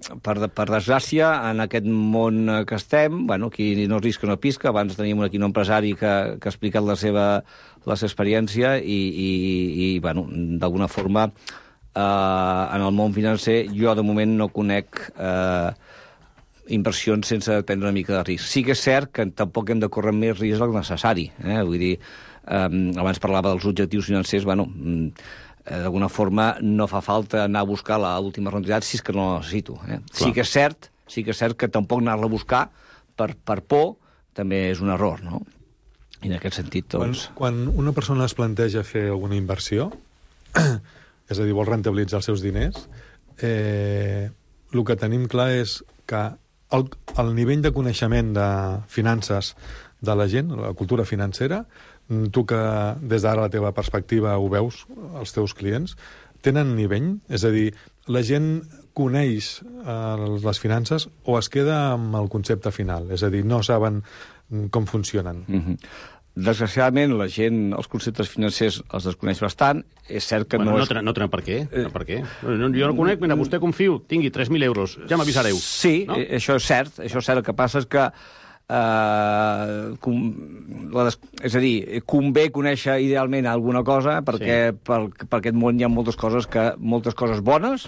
Per desgràcia, en aquest món que estem, qui no risca no pisca. Abans teníem aquí un empresari que ha explicat la seva experiència i d'alguna forma, en el món financer, jo de moment no conec inversions sense prendre una mica de risc. Sí que és cert que tampoc hem de córrer més risc del necessari. Vull dir, abans parlava dels objectius financers, d'alguna forma no fa falta anar a buscar l'última rendibilitat si és que no la necessito. Sí que és cert que tampoc anar-la a buscar per por també és un error, no? I en aquest sentit, doncs... Quan una persona es planteja fer alguna inversió, és a dir, vol rentabilitzar els seus diners, el que tenim clar és que el nivell de coneixement de finances de la gent, la cultura financera, tu que des d'ara la teva perspectiva ho veus, els teus clients, tenen nivell? És a dir, la gent coneix les finances o es queda amb el concepte final? És a dir, no saben com funcionen? Desgraciadament, la gent, els conceptes financers els desconeix bastant. És cert que no tenen per què. Jo no conec, mira, vostè confio, tingui 3.000 euros, ja m'avisareu. Sí, això és cert. El que passa és que és a dir, convé conèixer idealment alguna cosa perquè per aquest món hi ha moltes coses bones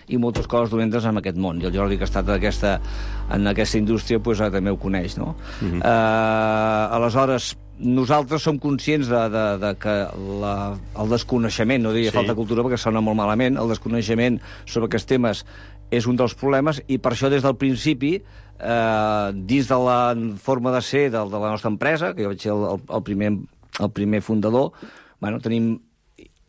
i moltes coses dolentes en aquest món, i el Jordi, que ha estat en aquesta indústria, també ho coneix, no? Aleshores, nosaltres som conscients de que el desconeixement, no diria falta de cultura perquè sona molt malament, el desconeixement sobre aquests temes és un dels problemes, i per això des del principi, dins de la forma de ser de la nostra empresa, que jo vaig ser el primer fundador, tenim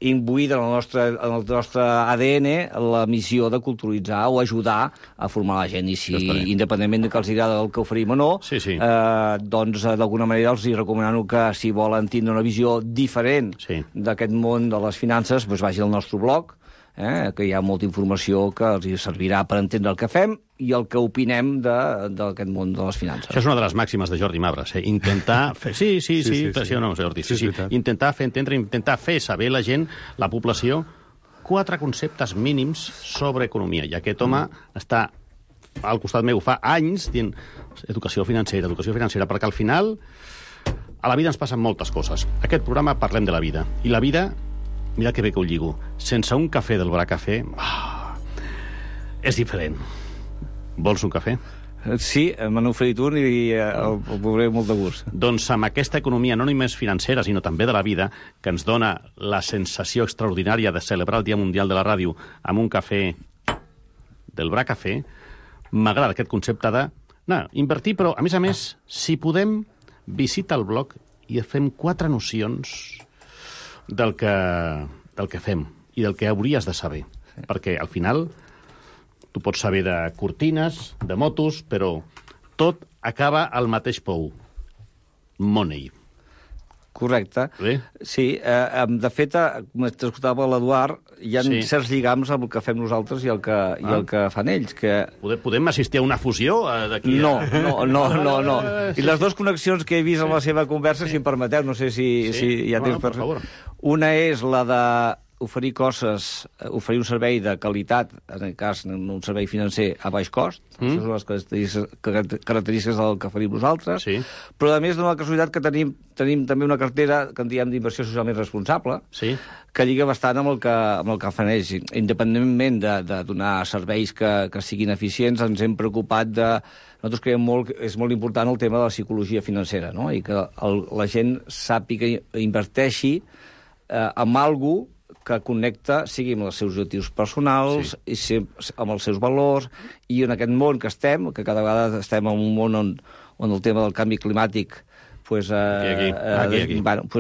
imbuïda en el nostre ADN la missió de culturalitzar o ajudar a formar la gent. I si, independentment de que els agrada el que oferim o no, doncs d'alguna manera els recomano que si volen tindre una visió diferent d'aquest món de les finances, doncs vagi al nostre blog, que hi ha molta informació que els servirà per entendre el que fem i el que opinem d'aquest món de les finances. Això és una de les màximes de Jordi Mabras, intentar fer... Sí, no, Jordi, intentar fer entendre, intentar fer saber la gent, la població, 4 conceptes mínims sobre economia. I aquest home està al costat meu fa anys dient educació financera, perquè al final a la vida ens passen moltes coses. Aquest programa parlem de la vida. I la vida, mira que bé que ho lligo, sense un cafè del Bracafè, és diferent. Vols un cafè? Sí, me n'he oferit un i el veuré molt de gust. Doncs amb aquesta economia, no només financera, sinó també de la vida, que ens dona la sensació extraordinària de celebrar el Dia Mundial de la Ràdio amb un cafè del Bracafè, m'agrada aquest concepte de invertir, però, a més, si podem, visita el blog i fem 4 nocions del que fem i del que hauries de saber. Perquè, al final, tu pots saber de cortines, de motos, però tot acaba al mateix pou. Money. Correcte. Sí, de fet, com t'escoltava l'Eduard, hi ha certs lligams amb el que fem nosaltres i el que fan ells. Podem assistir a una fusió d'aquí? No. I les 2 connexions que he vist en la seva conversa, si em permeteu, no sé si hi ha temps per favor. Una és la de oferir un servei de qualitat, en aquest cas un servei financer a baix cost, això són les característiques del que oferim nosaltres, però a més d'una casualitat que tenim també una cartera que en diem d'inversió socialment responsable, que lliga bastant amb el que fan ells. Independentment de donar serveis que siguin eficients, ens hem preocupat de... Nosaltres creiem que és molt important el tema de la psicologia financera, no? I que la gent sàpiga i inverteixi amb alguna cosa que connecta, sigui amb els seus objectius personals, i amb els seus valors, i en aquest món que estem, que cada vegada estem en un món on el tema del canvi climàtic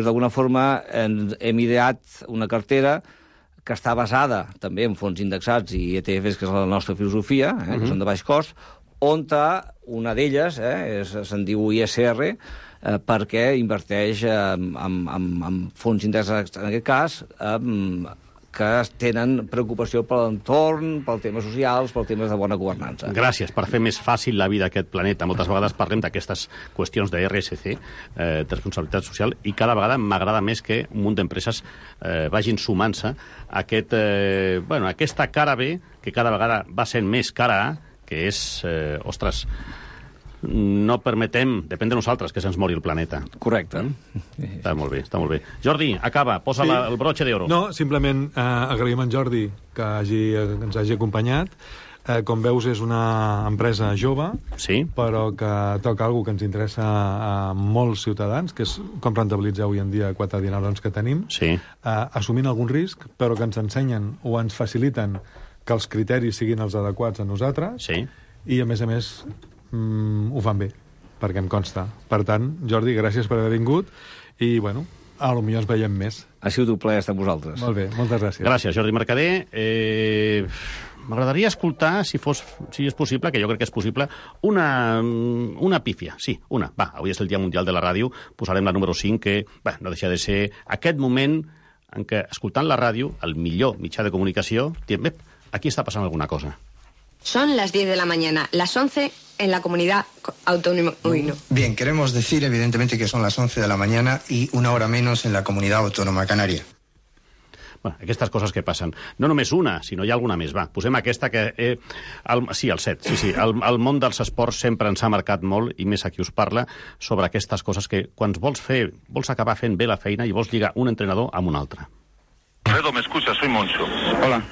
d'alguna forma hem ideat una cartera que està basada també en fons indexats i ETFs, que és la nostra filosofia, que són de baix cost, on una d'elles se'n diu ISR, perquè inverteix en fons indexats, en aquest cas, que tenen preocupació per l'entorn, pel temes socials, pel temes de bona governança. Gràcies per fer més fàcil la vida d'aquest planeta. Moltes vegades parlem d'aquestes qüestions de RSC, de responsabilitat social, i cada vegada m'agrada més que un munt d'empreses vagin sumant-se a aquesta cara B, que cada vegada va sent més cara A, que és, no permetem, depèn de nosaltres, que se'ns mori el planeta. Correcte. Està molt bé. Jordi, acaba, posa el broche d'oro. No, simplement agraïm a en Jordi que ens hagi acompanyat. Com veus, és una empresa jove, però que toca alguna que ens interessa a molts ciutadans, que és com rentabilitzar avui en dia 4 dinarons que tenim, assumint algun risc, però que ens ensenyen o ens faciliten que els criteris siguin els adequats a nosaltres, i a més ho fan bé, perquè em consta. Per tant, Jordi, gràcies per haver vingut i, bueno, potser ens veiem més. Ha sigut un plaer estar amb vosaltres. Molt bé, moltes gràcies. Gràcies, Jordi Mercader. M'agradaria escoltar, si és possible, que jo crec que és possible, una pífia. Sí, una. Va, avui és el Dia Mundial de la Ràdio, posarem la número 5, que no deixa de ser aquest moment en què, escoltant la ràdio, el millor mitjà de comunicació, diem, aquí està passant alguna cosa. Son las 10 de la mañana, las 11 en la comunidad autónoma. Bien, queremos decir evidentemente que son las 11 de la mañana y 1 hora menos en la comunidad autónoma canaria. Bueno, aquestes coses que passen. No només una, sinó hi ha alguna més. Va, posem aquesta que... el 7. Sí. El món dels esports sempre ens ha marcat molt, i més a qui us parla, sobre aquestes coses que quan vols acabar fent bé la feina i vols lligar un entrenador amb un altre. Alfredo, ¿me escuchas? Soy Moncho. Hola.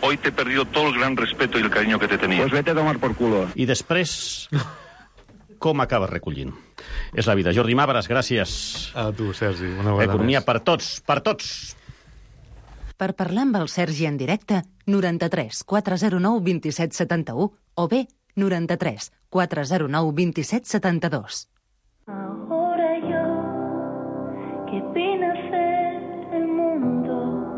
Hoy te he perdido todo el gran respeto y el cariño que te tenía. Pues vete a tomar por culo. I després, com acabes recollint? És la vida. Jordi Mabras, gràcies. A tu, Sergi. Una vegada Economia més. per tots. Per parlar amb el Sergi en directe, 93 409 27 71 o bé 93 409 27 72. Ahora yo, que vine a hacer el mundo,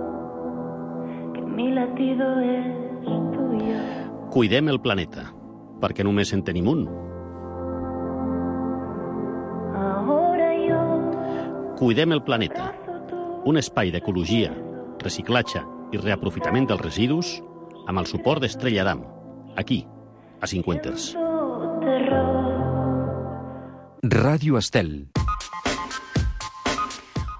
mi latido es tuyo. Cuidem el planeta, perquè només en tenim un. Ahora yo Cuidem el planeta, un espai d'ecologia, reciclatge i reaprofitament dels residus amb el suport d'Estrella Damm, aquí, a Cinquenters. Ràdio Estel.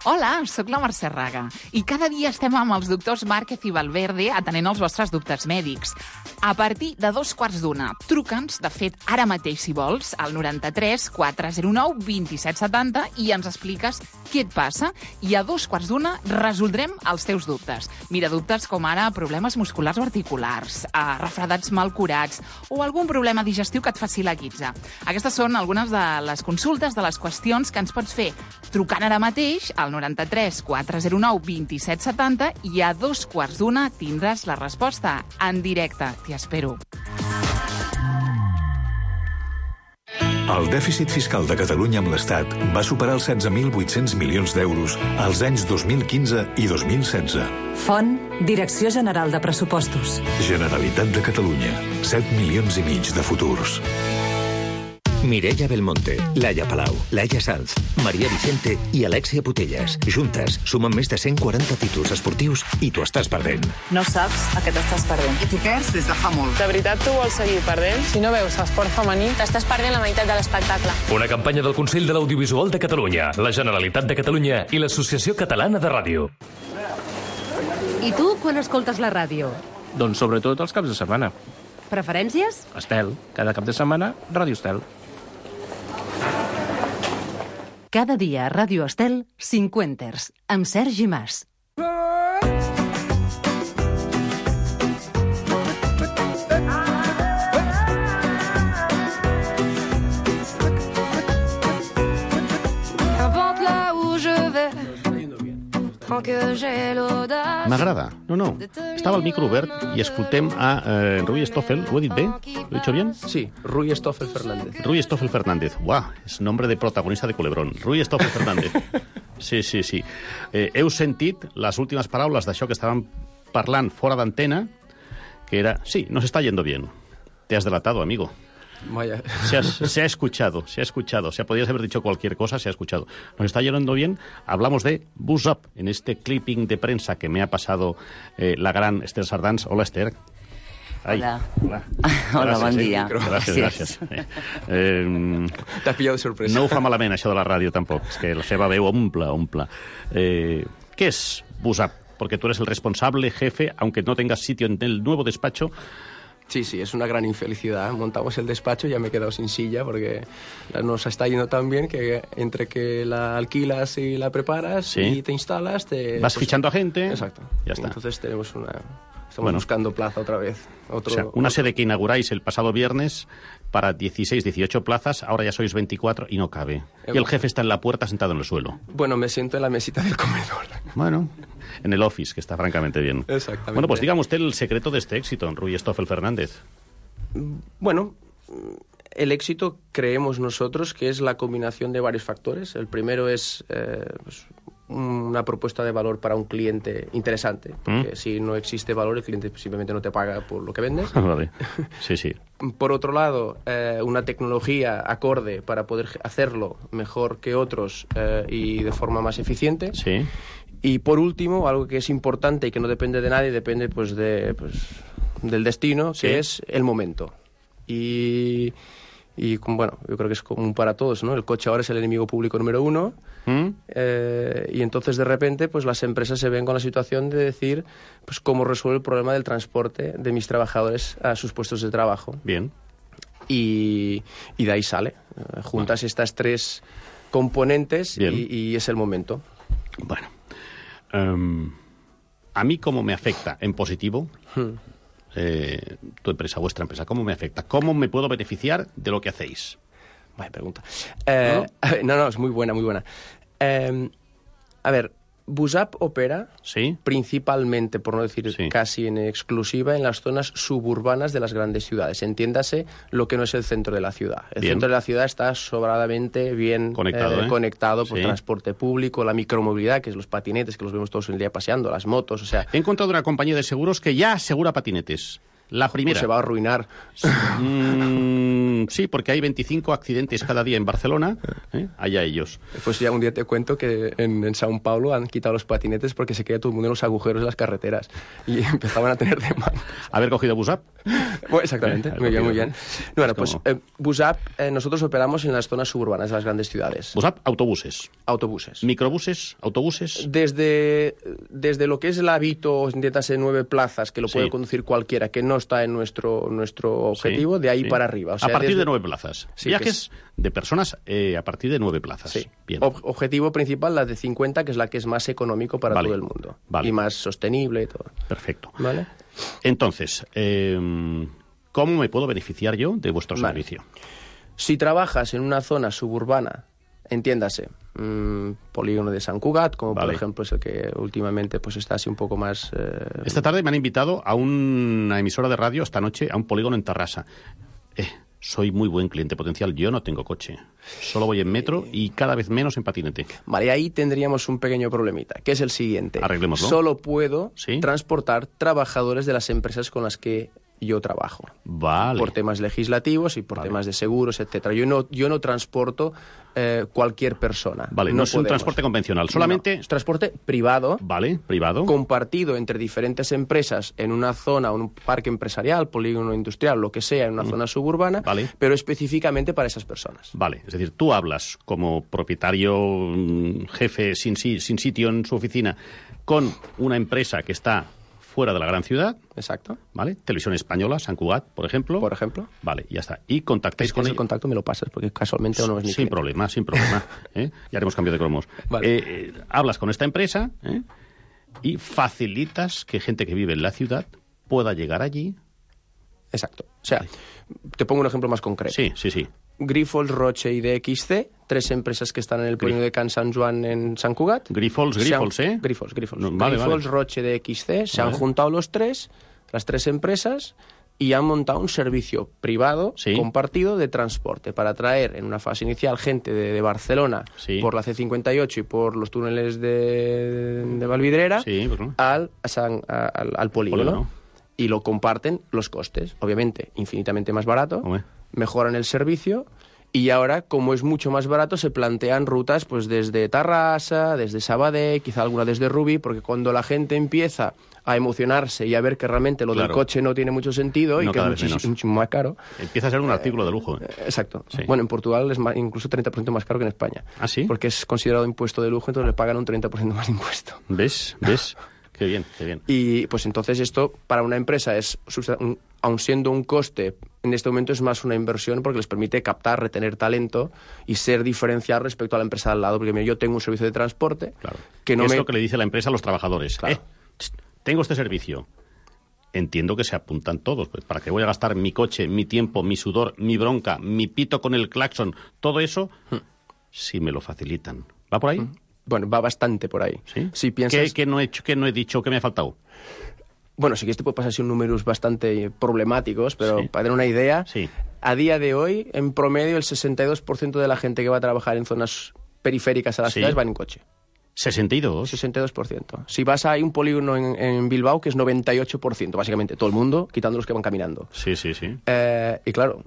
Hola, sóc la Mercè Raga i cada dia estem amb els doctors Márquez i Valverde atenent els vostres dubtes mèdics. A partir de 2:15, truca'ns, de fet, ara mateix, si vols, al 93 409 2770 i ens expliques què et passa i a 2:15 resoldrem els teus dubtes. Mira, dubtes com ara problemes musculars o articulars, refredats mal curats o algun problema digestiu que et faci la guitza. Aquestes són algunes de les consultes, de les qüestions que ens pots fer trucant ara mateix al 93 409 2770 i a 2:15 tindràs la resposta en directe. T'hi espero. El dèficit fiscal de Catalunya amb l'Estat va superar els 16.800 milions d'euros als anys 2015 i 2016. Font, Direcció General de Pressupostos. Generalitat de Catalunya. 7 milions i mig de futurs. Mireia Belmonte, Laia Palau, Laia Sanz, Maria Vicente i Alexia Putellas. Juntes sumen més de 140 títols esportius i t'ho estàs perdent. No saps a què t'estàs perdent. I t'ho perds des de fa molt. De veritat tu vols seguir perdent? Si no veus esport femení, t'estàs perdent la meitat de l'espectacle. Una campanya del Consell de l'Audiovisual de Catalunya, la Generalitat de Catalunya i l'Associació Catalana de Ràdio. I tu, quan escoltes la ràdio? Doncs sobretot els caps de setmana. Preferències? Estel. Cada cap de setmana, Ràdio Estel. Cada dia a Ràdio Estel, Cinquenters, amb Sergi Mas. M'agrada. No. Estava el micro obert i escoltem a Rui Stoffel. ¿Lo he dit bé? ¿Lo he dicho bien? Sí, Rui Stoffel Fernández. Rui Stoffel Fernández. Uau, és nombre de protagonista de Culebrón. Rui Stoffel Fernández. Sí. Heu sentit les últimes paraules d'això que estàvem parlant fora d'antena, que era, sí, nos está yendo bien. Te has delatado, amigo. Vaya. Se ha escuchado. O sea, podrías haber dicho cualquier cosa, se ha escuchado. Nos está yendo bien. Hablamos de Buzz Up, en este clipping de prensa que me ha pasado la gran Esther Sardans. Hola, Esther. Ai. Hola, bon dia. Gràcies. T'has pillat de sorpresa. No ho fa malament, això de la ràdio, tampoc. És que la seva veu omple. ¿Qué es Buzz Up? Porque tú eres el responsable, jefe, aunque no tengas sitio en el nuevo despacho. Sí, es una gran infelicidad. Montamos el despacho y ya me he quedado sin silla porque nos está yendo tan bien que entre que la alquilas y la preparas y te instalas... Vas fichando a gente. Exacto. Ya está. Entonces estamos buscando plaza otra vez. Una sede que inauguráis el pasado viernes para 16, 18 plazas, ahora ya sois 24 y no cabe. Y el jefe está en la puerta sentado en el suelo. Bueno, me siento en la mesita del comedor. Bueno, en el office, que está francamente bien. Exactamente. Bueno, pues dígame usted el secreto de este éxito, Rui Stoffel Fernández. Bueno, el éxito creemos nosotros que es la combinación de varios factores. El primero es una propuesta de valor para un cliente interesante, porque si no existe valor, el cliente simplemente no te paga por lo que vendes. Vale, sí. Por otro lado, una tecnología acorde para poder hacerlo mejor que otros y de forma más eficiente. Sí. Y por último, algo que es importante y que no depende de nadie, depende del destino, que es el momento. Y bueno, yo creo que es común para todos, ¿no? El coche ahora es el enemigo público número 1 y entonces de repente pues las empresas se ven con la situación de decir pues cómo resuelvo el problema del transporte de mis trabajadores a sus puestos de trabajo. Bien. Y de ahí sale. Juntas estas tres componentes y es el momento. Bueno. A mí, ¿cómo me afecta en positivo? Tu empresa, vuestra empresa, ¿cómo me afecta? ¿Cómo me puedo beneficiar de lo que hacéis? Vaya pregunta. No, es muy buena. A ver, Busap opera principalmente, por no decir casi en exclusiva, en las zonas suburbanas de las grandes ciudades. Entiéndase lo que no es el centro de la ciudad. El centro de la ciudad está sobradamente bien conectado por transporte público, la micromovilidad, que es los patinetes, que los vemos todos el día paseando, las motos, o sea... He encontrado una compañía de seguros que ya asegura patinetes. La primera. Pues se va a arruinar. Sí, porque hay 25 accidentes cada día en Barcelona. Allá ellos. Pues ya un día te cuento que en São Paulo han quitado los patinetes porque se queda todo el mundo en los agujeros de las carreteras. Y empezaban a tener demanda. ¿Haber cogido Busap? Bueno, exactamente. Muy bien, muy bien. Bueno, pues Busap, nosotros operamos en las zonas suburbanas de las grandes ciudades. Busap, autobuses. Autobuses. Microbuses, autobuses. Desde lo que es el Avito, entiéndase 9 plazas, que lo puede conducir cualquiera, que no está en nuestro objetivo, de ahí para arriba. O sea, a partir de 9 plazas. Viajes de personas a partir de 9 plazas. Sí. Bien. Objetivo principal, la de 50, que es la que es más económico para todo el mundo. Y más sostenible y todo. Perfecto. ¿Vale? Entonces, ¿cómo me puedo beneficiar yo de vuestro servicio? Si trabajas en una zona suburbana, entiéndase, polígono de Sant Cugat, como por ejemplo es el que últimamente pues está así un poco más... Esta tarde me han invitado a una emisora de radio, esta noche, a un polígono en Tarrasa. Soy muy buen cliente potencial, yo no tengo coche. Solo voy en metro y cada vez menos en patinete. Vale, ahí tendríamos un pequeño problemita, que es el siguiente. Arreglémoslo. Solo puedo transportar trabajadores de las empresas con las que yo trabajo. Vale. Por temas legislativos y por temas de seguros, etcétera. Yo no transporto cualquier persona. Vale, no es un transporte convencional, solamente... No, es transporte privado. Vale, privado. Compartido entre diferentes empresas en una zona, un parque empresarial, polígono industrial, lo que sea, en una zona suburbana, pero específicamente para esas personas. Vale, es decir, tú hablas como propietario, jefe, sin sitio en su oficina, con una empresa que está fuera de la gran ciudad. Exacto. ¿Vale? Televisión Española, Sant Cugat, por ejemplo. Por ejemplo. Vale, ya está. Y contactáis con el contacto me lo pasas, porque casualmente no es mi Sin problema. Ya haremos cambio de cromos. Vale. Hablas con esta empresa y facilitas que gente que vive en la ciudad pueda llegar allí. Exacto. O sea, te pongo un ejemplo más concreto. Sí. Grifols, Roche y DXC, 3 empresas que están en el polígono de Can Sant Joan en Sant Cugat. Grifols, Grifols. Grifols, Roche, DXC, se han juntado las 3 empresas, y han montado un servicio privado compartido de transporte para traer en una fase inicial gente de Barcelona por la C58 y por los túneles de Valvidrera al polígono. Y lo comparten los costes, obviamente infinitamente más barato, mejoran el servicio, y ahora, como es mucho más barato, se plantean rutas pues desde Tarrasa, desde Sabadell, quizá alguna desde Rubí, porque cuando la gente empieza a emocionarse y a ver que realmente lo del coche no tiene mucho sentido y que es muchísimo más caro... Empieza a ser un artículo de lujo. Exacto. Sí. Bueno, en Portugal es incluso 30% más caro que en España. ¿Ah, sí? Porque es considerado impuesto de lujo, entonces le pagan un 30% más de impuesto. ¿Ves? Qué bien. Y pues entonces esto para una empresa es, aun siendo un coste, en este momento es más una inversión porque les permite captar, retener talento y ser diferencial respecto a la empresa de al lado. Porque mira, yo tengo un servicio de transporte que no es lo que le dice la empresa a los trabajadores. Claro. Tengo este servicio. Entiendo que se apuntan todos. Pues, ¿para qué voy a gastar mi coche, mi tiempo, mi sudor, mi bronca, mi pito con el claxon? Todo eso, si me lo facilitan. ¿Va por ahí? Bueno, va bastante por ahí. ¿Sí? Si piensas... ¿Qué no he hecho, qué no he dicho, qué me ha faltado? Bueno, sí que te puede pasar así números bastante problemáticos, pero para tener una idea, a día de hoy, en promedio, el 62% de la gente que va a trabajar en zonas periféricas a las ciudades van en coche. ¿62? 62%. Si vas a un polígono en Bilbao, que es 98%, básicamente todo el mundo, quitando los que van caminando. Sí. Y claro,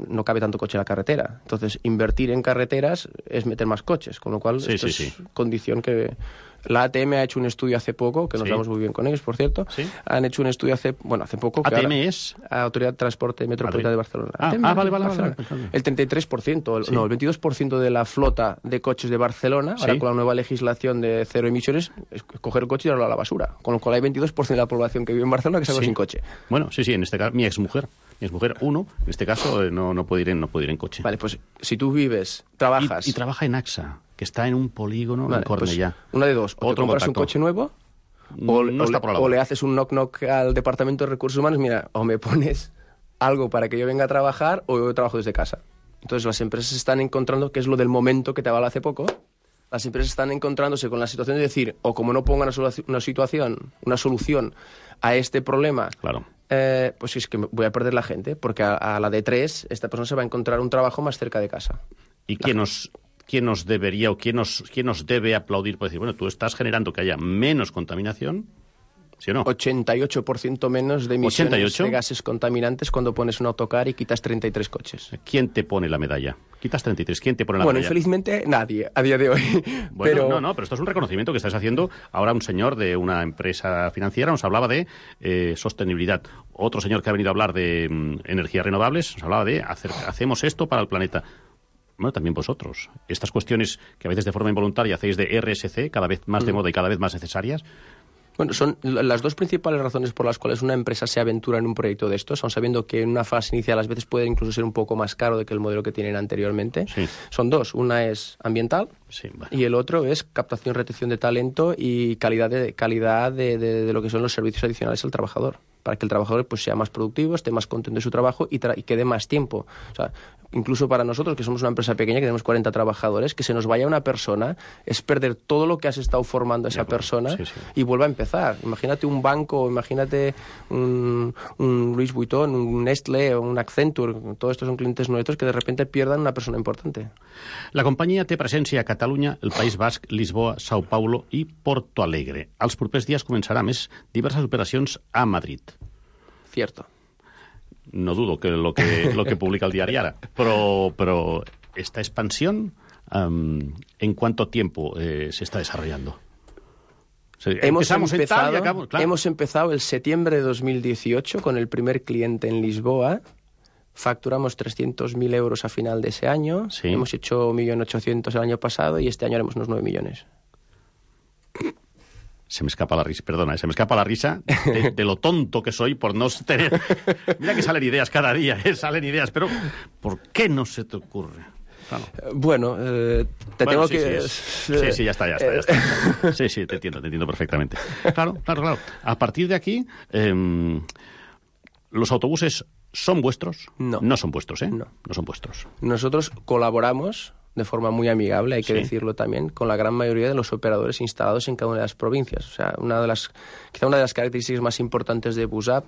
no cabe tanto coche en la carretera. Entonces, invertir en carreteras es meter más coches, con lo cual esto es condición que... La ATM ha hecho un estudio hace poco, que nos damos muy bien con ellos, por cierto. Han hecho un estudio hace poco. ¿ATM es? Autoridad de Transporte Metropolitana de Barcelona. Vale. El 33%, el 22% de la flota de coches de Barcelona, ahora con la nueva legislación de cero emisiones, es coger el coche y darlo a la basura. Con lo cual hay 22% de la población que vive en Barcelona que se va sin coche. Bueno, en este caso, mi exmujer, en este caso, no puede ir en coche. Vale, pues si tú vives, trabajas... Y trabaja en AXA, que está en un polígono en Cornellà. Pues una de dos, o te compras un coche nuevo, o le haces un knock-knock al Departamento de Recursos Humanos, mira, o me pones algo para que yo venga a trabajar, o yo trabajo desde casa. Entonces las empresas están encontrando que es lo del momento que te hablaba hace poco, Las empresas están encontrándose con la situación de decir, o como no pongan una solución a este problema, claro, pues es que voy a perder la gente, porque a la de 3 esta persona se va a encontrar un trabajo más cerca de casa. ¿Y quién nos debería o quién nos debe aplaudir por decir, bueno, tú estás generando que haya menos contaminación? ¿Sí o no? 88% menos de emisiones de gases contaminantes cuando pones un autocar y quitas 33 coches. ¿Quién te pone la medalla? Quitas 33, ¿quién te pone la medalla? Bueno, infelizmente nadie, a día de hoy. Bueno, pero esto es un reconocimiento que estás haciendo. Ahora un señor de una empresa financiera nos hablaba de sostenibilidad. Otro señor que ha venido a hablar de energías renovables nos hablaba de hacemos esto para el planeta. Bueno, también vosotros. Estas cuestiones que a veces de forma involuntaria hacéis de RSC, cada vez más de moda y cada vez más necesarias. Bueno, son las dos principales razones por las cuales una empresa se aventura en un proyecto de estos, aun sabiendo que en una fase inicial a veces puede incluso ser un poco más caro de que el modelo que tienen anteriormente. Sí. Son dos. Una es ambiental y el otro es captación, retención de talento y calidad de lo que son los servicios adicionales al trabajador, para que el trabajador pues sea más productivo, esté más contento de su trabajo y quede más tiempo. O sea, incluso para nosotros, que somos una empresa pequeña, que tenemos 40 trabajadores, que se nos vaya una persona es perder todo lo que has estado formando a esa persona y vuelva a empezar. Imagínate un banco, imagínate un Louis Vuitton, un Nestlé o un Accenture. Todos estos son clientes nuestros que de repente pierdan una persona importante. La companyia té presència a Catalunya, el País Basc, Lisboa, Sao Paulo i Porto Alegre. Els propers dies començarà més diverses operacions a Madrid. Cierto. No dudo que lo que publica el diario Ara. Pero esta expansión, ¿en cuánto tiempo se está desarrollando? Hemos empezado el septiembre de 2018 con el primer cliente en Lisboa. Facturamos 300.000 euros a final de ese año. Sí. Hemos hecho 1.800.000 el año pasado y este año haremos unos 9 millones. Se me escapa la risa, de lo tonto que soy por no tener... Mira que salen ideas cada día, salen ideas, pero ¿por qué no se te ocurre? Claro. Bueno, tengo que... Sí, ya está. Sí, te entiendo perfectamente. Claro. A partir de aquí, ¿los autobuses son vuestros? No son vuestros, ¿eh? No son vuestros. Nosotros colaboramos de forma muy amigable, hay que decirlo también, con la gran mayoría de los operadores instalados en cada una de las provincias. O sea, quizá una de las características más importantes de Busap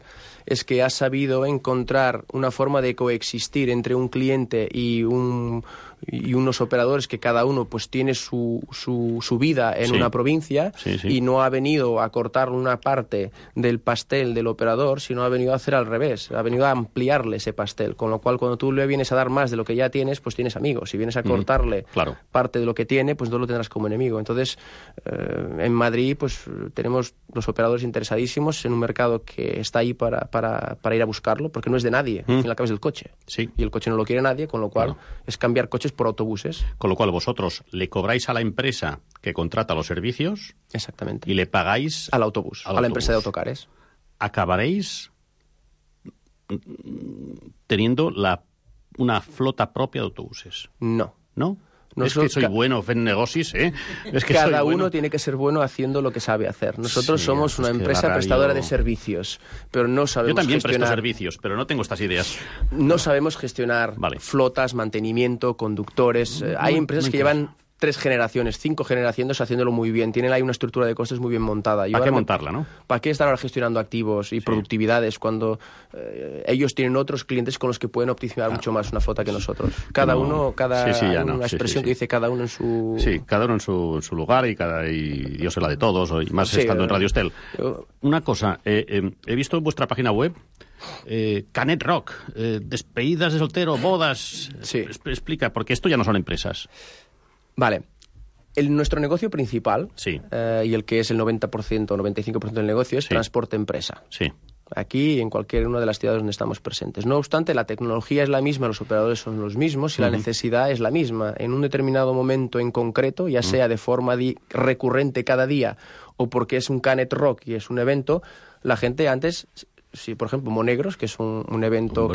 es que ha sabido encontrar una forma de coexistir entre un cliente y unos operadores que cada uno pues tiene su vida en una provincia y no ha venido a cortar una parte del pastel del operador, sino ha venido a hacer al revés, ha venido a ampliarle ese pastel, con lo cual cuando tú le vienes a dar más de lo que ya tienes, pues tienes amigos. Si vienes a cortarle parte de lo que tiene, pues no lo tendrás como enemigo. Entonces, en Madrid pues tenemos los operadores interesadísimos en un mercado que está ahí para ir a buscarlo, porque no es de nadie, al fin y al cabo es del coche. Sí. Y el coche no lo quiere nadie, con lo cual es cambiar coches por autobuses. Con lo cual vosotros le cobráis a la empresa que contrata los servicios. Exactamente. Y le pagáis al autobús, a la empresa de autocares. Acabaréis teniendo una flota propia de autobuses. No. Es que soy bueno en negocios, ¿eh? Es que cada uno tiene que ser bueno haciendo lo que sabe hacer. Nosotros somos una empresa prestadora de servicios, pero no sabemos gestionar... Yo también presto servicios, pero no tengo estas ideas. No sabemos gestionar flotas, mantenimiento, conductores. Hay empresas que llevan 3 generaciones, 5 generaciones haciéndolo muy bien. Tienen ahí una estructura de costes muy bien montada. ¿Para qué montarla, no? ¿Para qué estar ahora gestionando activos y productividades cuando ellos tienen otros clientes con los que pueden optimizar mucho más una flota que nosotros? Una expresión que dice cada uno en su... Sí, cada uno en su lugar y Dios es la de todos, y más estando en Radio Estel. Una cosa, he visto en vuestra página web Canet Rock, despedidas de soltero, bodas... Explica, porque esto ya no son empresas. Vale. Nuestro negocio principal, y el que es el 90% o 95% del negocio, es transporte empresa. Sí. Aquí, en cualquier una de las ciudades donde estamos presentes. No obstante, la tecnología es la misma, los operadores son los mismos y la necesidad es la misma. En un determinado momento en concreto, ya sea de forma recurrente cada día o porque es un Canet Rock y es un evento, la gente antes, por ejemplo, Monegros, que es un evento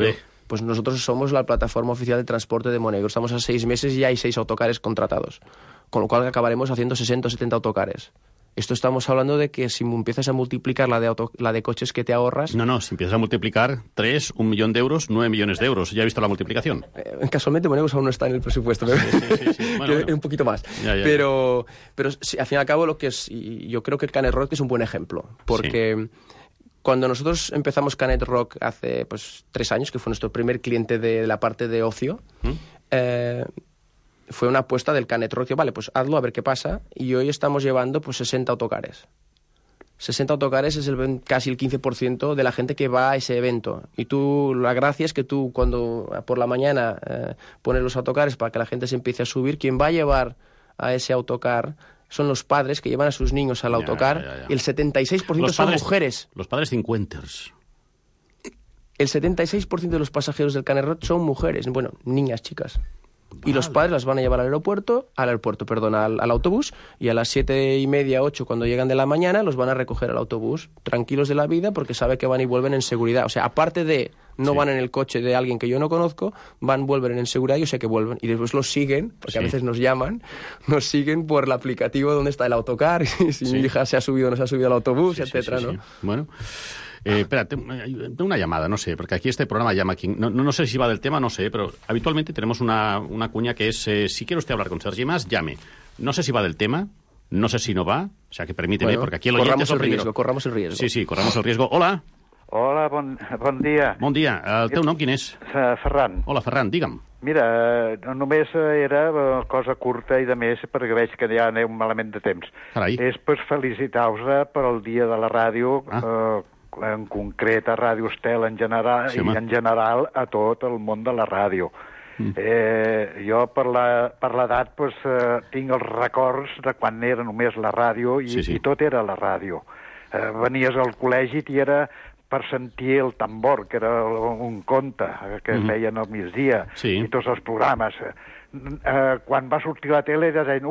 pues nosotros somos la plataforma oficial de transporte de Monegros. Estamos a 6 meses y ya hay 6 autocares contratados. Con lo cual acabaremos haciendo 60 o 70 autocares. Esto estamos hablando de que si empiezas a multiplicar la de coches que te ahorras... No, si empiezas a multiplicar 3, 1 millón de euros, 9 millones de euros. ¿Ya he visto la multiplicación? Casualmente Monegus aún no está en el presupuesto. Sí. Bueno. Un poquito más. Ya. Pero sí, al fin y al cabo, yo creo que el Canet Rock es un buen ejemplo. Porque cuando nosotros empezamos Canet Rock hace 3 años, que fue nuestro primer cliente de la parte de ocio... fue una apuesta del Canet Rock, vale, pues hazlo, a ver qué pasa, y hoy estamos llevando 60 autocares. 60 autocares es casi el 15% de la gente que va a ese evento. Y la gracia es que tú, cuando por la mañana pones los autocares para que la gente se empiece a subir, quien va a llevar a ese autocar son los padres que llevan a sus niños al autocar, y el 76% son mujeres. Los padres cincuenters. El 76% de los pasajeros del Canet Rock son mujeres, bueno, niñas, chicas. Y los padres las van a llevar al autobús, y a las 7:30, 8, cuando llegan de la mañana, los van a recoger al autobús, tranquilos de la vida, porque sabe que van y vuelven en seguridad. O sea, aparte de van en el coche de alguien que yo no conozco, vuelven en seguridad, yo sé que vuelven. Y después los siguen, porque a veces nos siguen por el aplicativo donde está el autocar, si mi hija se ha subido o no se ha subido al autobús, etcétera, ¿no? Bueno... espérate, una llamada, no sé, porque aquí este programa llama aquí. No sé si va del tema, no sé, pero habitualmente tenemos una cuña que es, si quiere usted hablar con Sergi Mas, llame. No sé si va del tema, no sé si no va, o sea que permíteme, porque aquí el oyente corramos el riesgo. Sí, corramos el riesgo. Hola. Hola, bon dia. Bon dia. El teu nom quin és? Ferran. Hola, Ferran, digue'm. Mira, només era cosa curta i de més, perquè veig que ja aneu malament de temps. Carai. És per felicitar-vos per el dia de la ràdio, en concret a Ràdio Estel en general, i en general a tot el món de la ràdio. Jo per l'edat tinc els records de quan era només la ràdio i tot era la ràdio. Venies al col·legi i era per sentir el tambor, que era un conte que feien al migdia, i tots els programes. Quan va sortir la tele deien,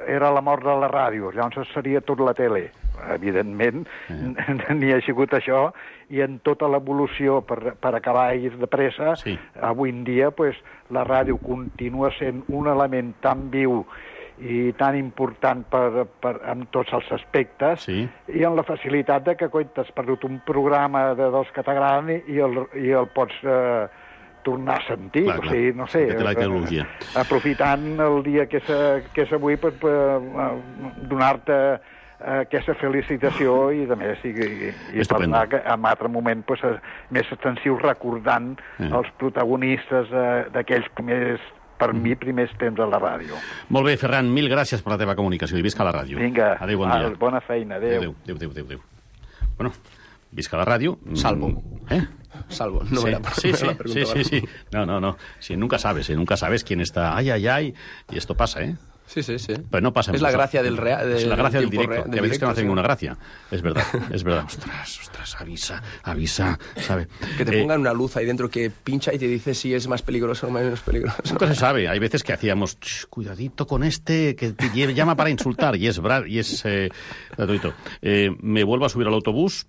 era la mort de la ràdio, llavors seria tot la tele. Evidentment, n'hi ha sigut això, i en tota l'evolució, per acabar de pressa, avui en dia la ràdio continua sent un element tan viu i tan important en tots els aspectes, i en la facilitat de que t'has perdut un programa dels que t'agraden i el pots tornar a sentir. Clar. O sigui, no sé, aprofitant el dia que és avui per donar-te aquesta felicitació i de més, i parlar en altre moment més extensiu, recordant els protagonistes d'aquells primers, per mi, primers temps a la ràdio. Molt bé, Ferran, mil gràcies per la teva comunicació i visca la ràdio. Vinga, adéu, bon dia. Bona feina, adéu. Adéu. Bueno, visca la ràdio. Salvo. Salvo, no me la pregunta. Sí. No. Sí, nunca sabes quién está. Ay, y esto pasa, ¿eh? Sí. Pero no pasa. Es la gracia del Es la gracia del directo. Real, y a veces que no hace ninguna gracia. Es verdad. Ostras, avisa, ¿sabe? Que te pongan una luz ahí dentro que pincha y te dice si es más peligroso o menos peligroso. Nunca se sabe. Hay veces que hacíamos, cuidadito con este, que te llama para insultar, y es gratuito. Me vuelvo a subir al autobús.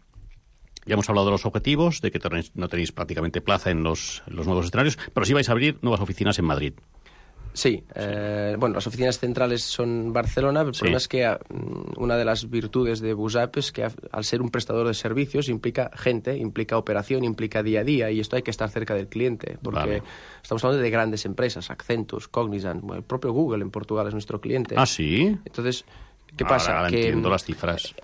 Ya hemos hablado de los objetivos, de que no tenéis prácticamente plaza en los nuevos escenarios, pero sí vais a abrir nuevas oficinas en Madrid. Sí, bueno, las oficinas centrales son Barcelona, el problema es que una de las virtudes de Busap es que al ser un prestador de servicios implica gente, implica operación, implica día a día, y esto hay que estar cerca del cliente, porque estamos hablando de grandes empresas, Accentus, Cognizant, el propio Google en Portugal es nuestro cliente. ¿Ah, sí? Entonces, ¿qué pasa? Ahora que entiendo las cifras.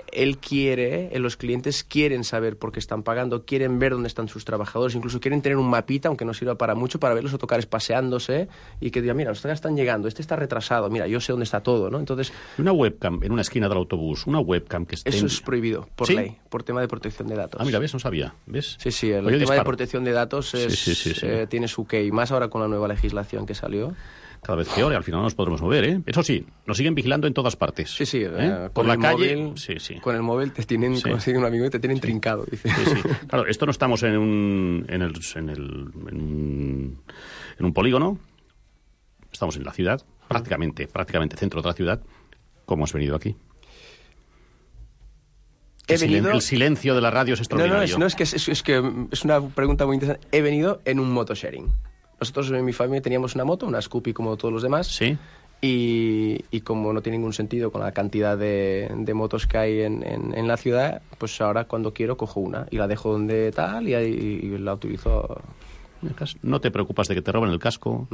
Los clientes quieren saber por qué están pagando, quieren ver dónde están sus trabajadores, incluso quieren tener un mapita, aunque no sirva para mucho, para ver los autocares paseándose y que digan, mira, los autocares están llegando, este está retrasado, mira, yo sé dónde está todo, ¿no? Entonces, una webcam en una esquina del autobús, una webcam que esté... Eso es prohibido por ley, por tema de protección de datos. Ah, mira, ¿ves? No sabía, ¿ves? Sí, el tema de protección de datos tiene su qué, y más ahora con la nueva legislación que salió. Cada vez peor, y al final no nos podremos mover, ¿eh? Eso sí, nos siguen vigilando en todas partes. Sí. Por la calle... Móvil, con el móvil te tienen, como sigue un amigo, te tienen trincado, dice. Sí. Claro, esto no estamos en un polígono, estamos en la ciudad, prácticamente centro de la ciudad. ¿Cómo has venido aquí? El silencio de la radio es extraordinario. No, es que es una pregunta muy interesante. He venido en un motosharing. Nosotros en mi familia teníamos una moto, una Scoopy como todos los demás. Sí. Y como no tiene ningún sentido con la cantidad de motos que hay en la ciudad, pues ahora cuando quiero cojo una y la dejo donde tal y la utilizo. No te preocupas de que te roben el casco,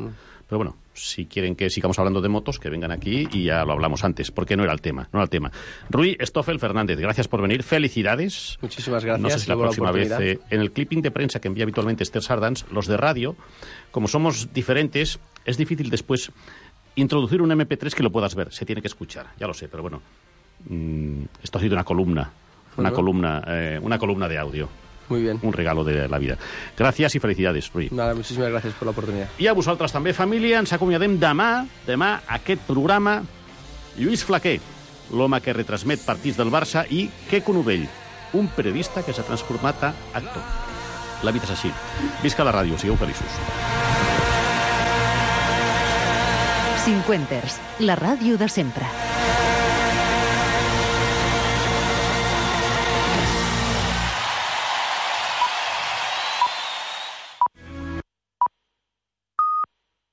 pero bueno, si quieren que sigamos hablando de motos, que vengan aquí y ya lo hablamos antes, porque no era el tema. Rui Stoffel Fernández, gracias por venir, felicidades. Muchísimas gracias. No sé si la próxima vez, en el clipping de prensa que envía habitualmente Esther Sardans, los de radio, como somos diferentes, es difícil después introducir un MP3 que lo puedas ver, se tiene que escuchar, ya lo sé, pero bueno, esto ha sido una columna de audio. Muy bien. Un regalo de la vida. Gràcies i felicitats, Rui. Nada, muchísimas gracias por la oportunidad. I a vosaltres també, família, ens acomiadem demà aquest programa. Lluís Flaquer, l'home que retransmet partits del Barça, i Queco Novell, un periodista que s'ha transformat a actor. La vida és així. Visca la ràdio, sigueu feliços. Cinquenters, la ràdio de sempre.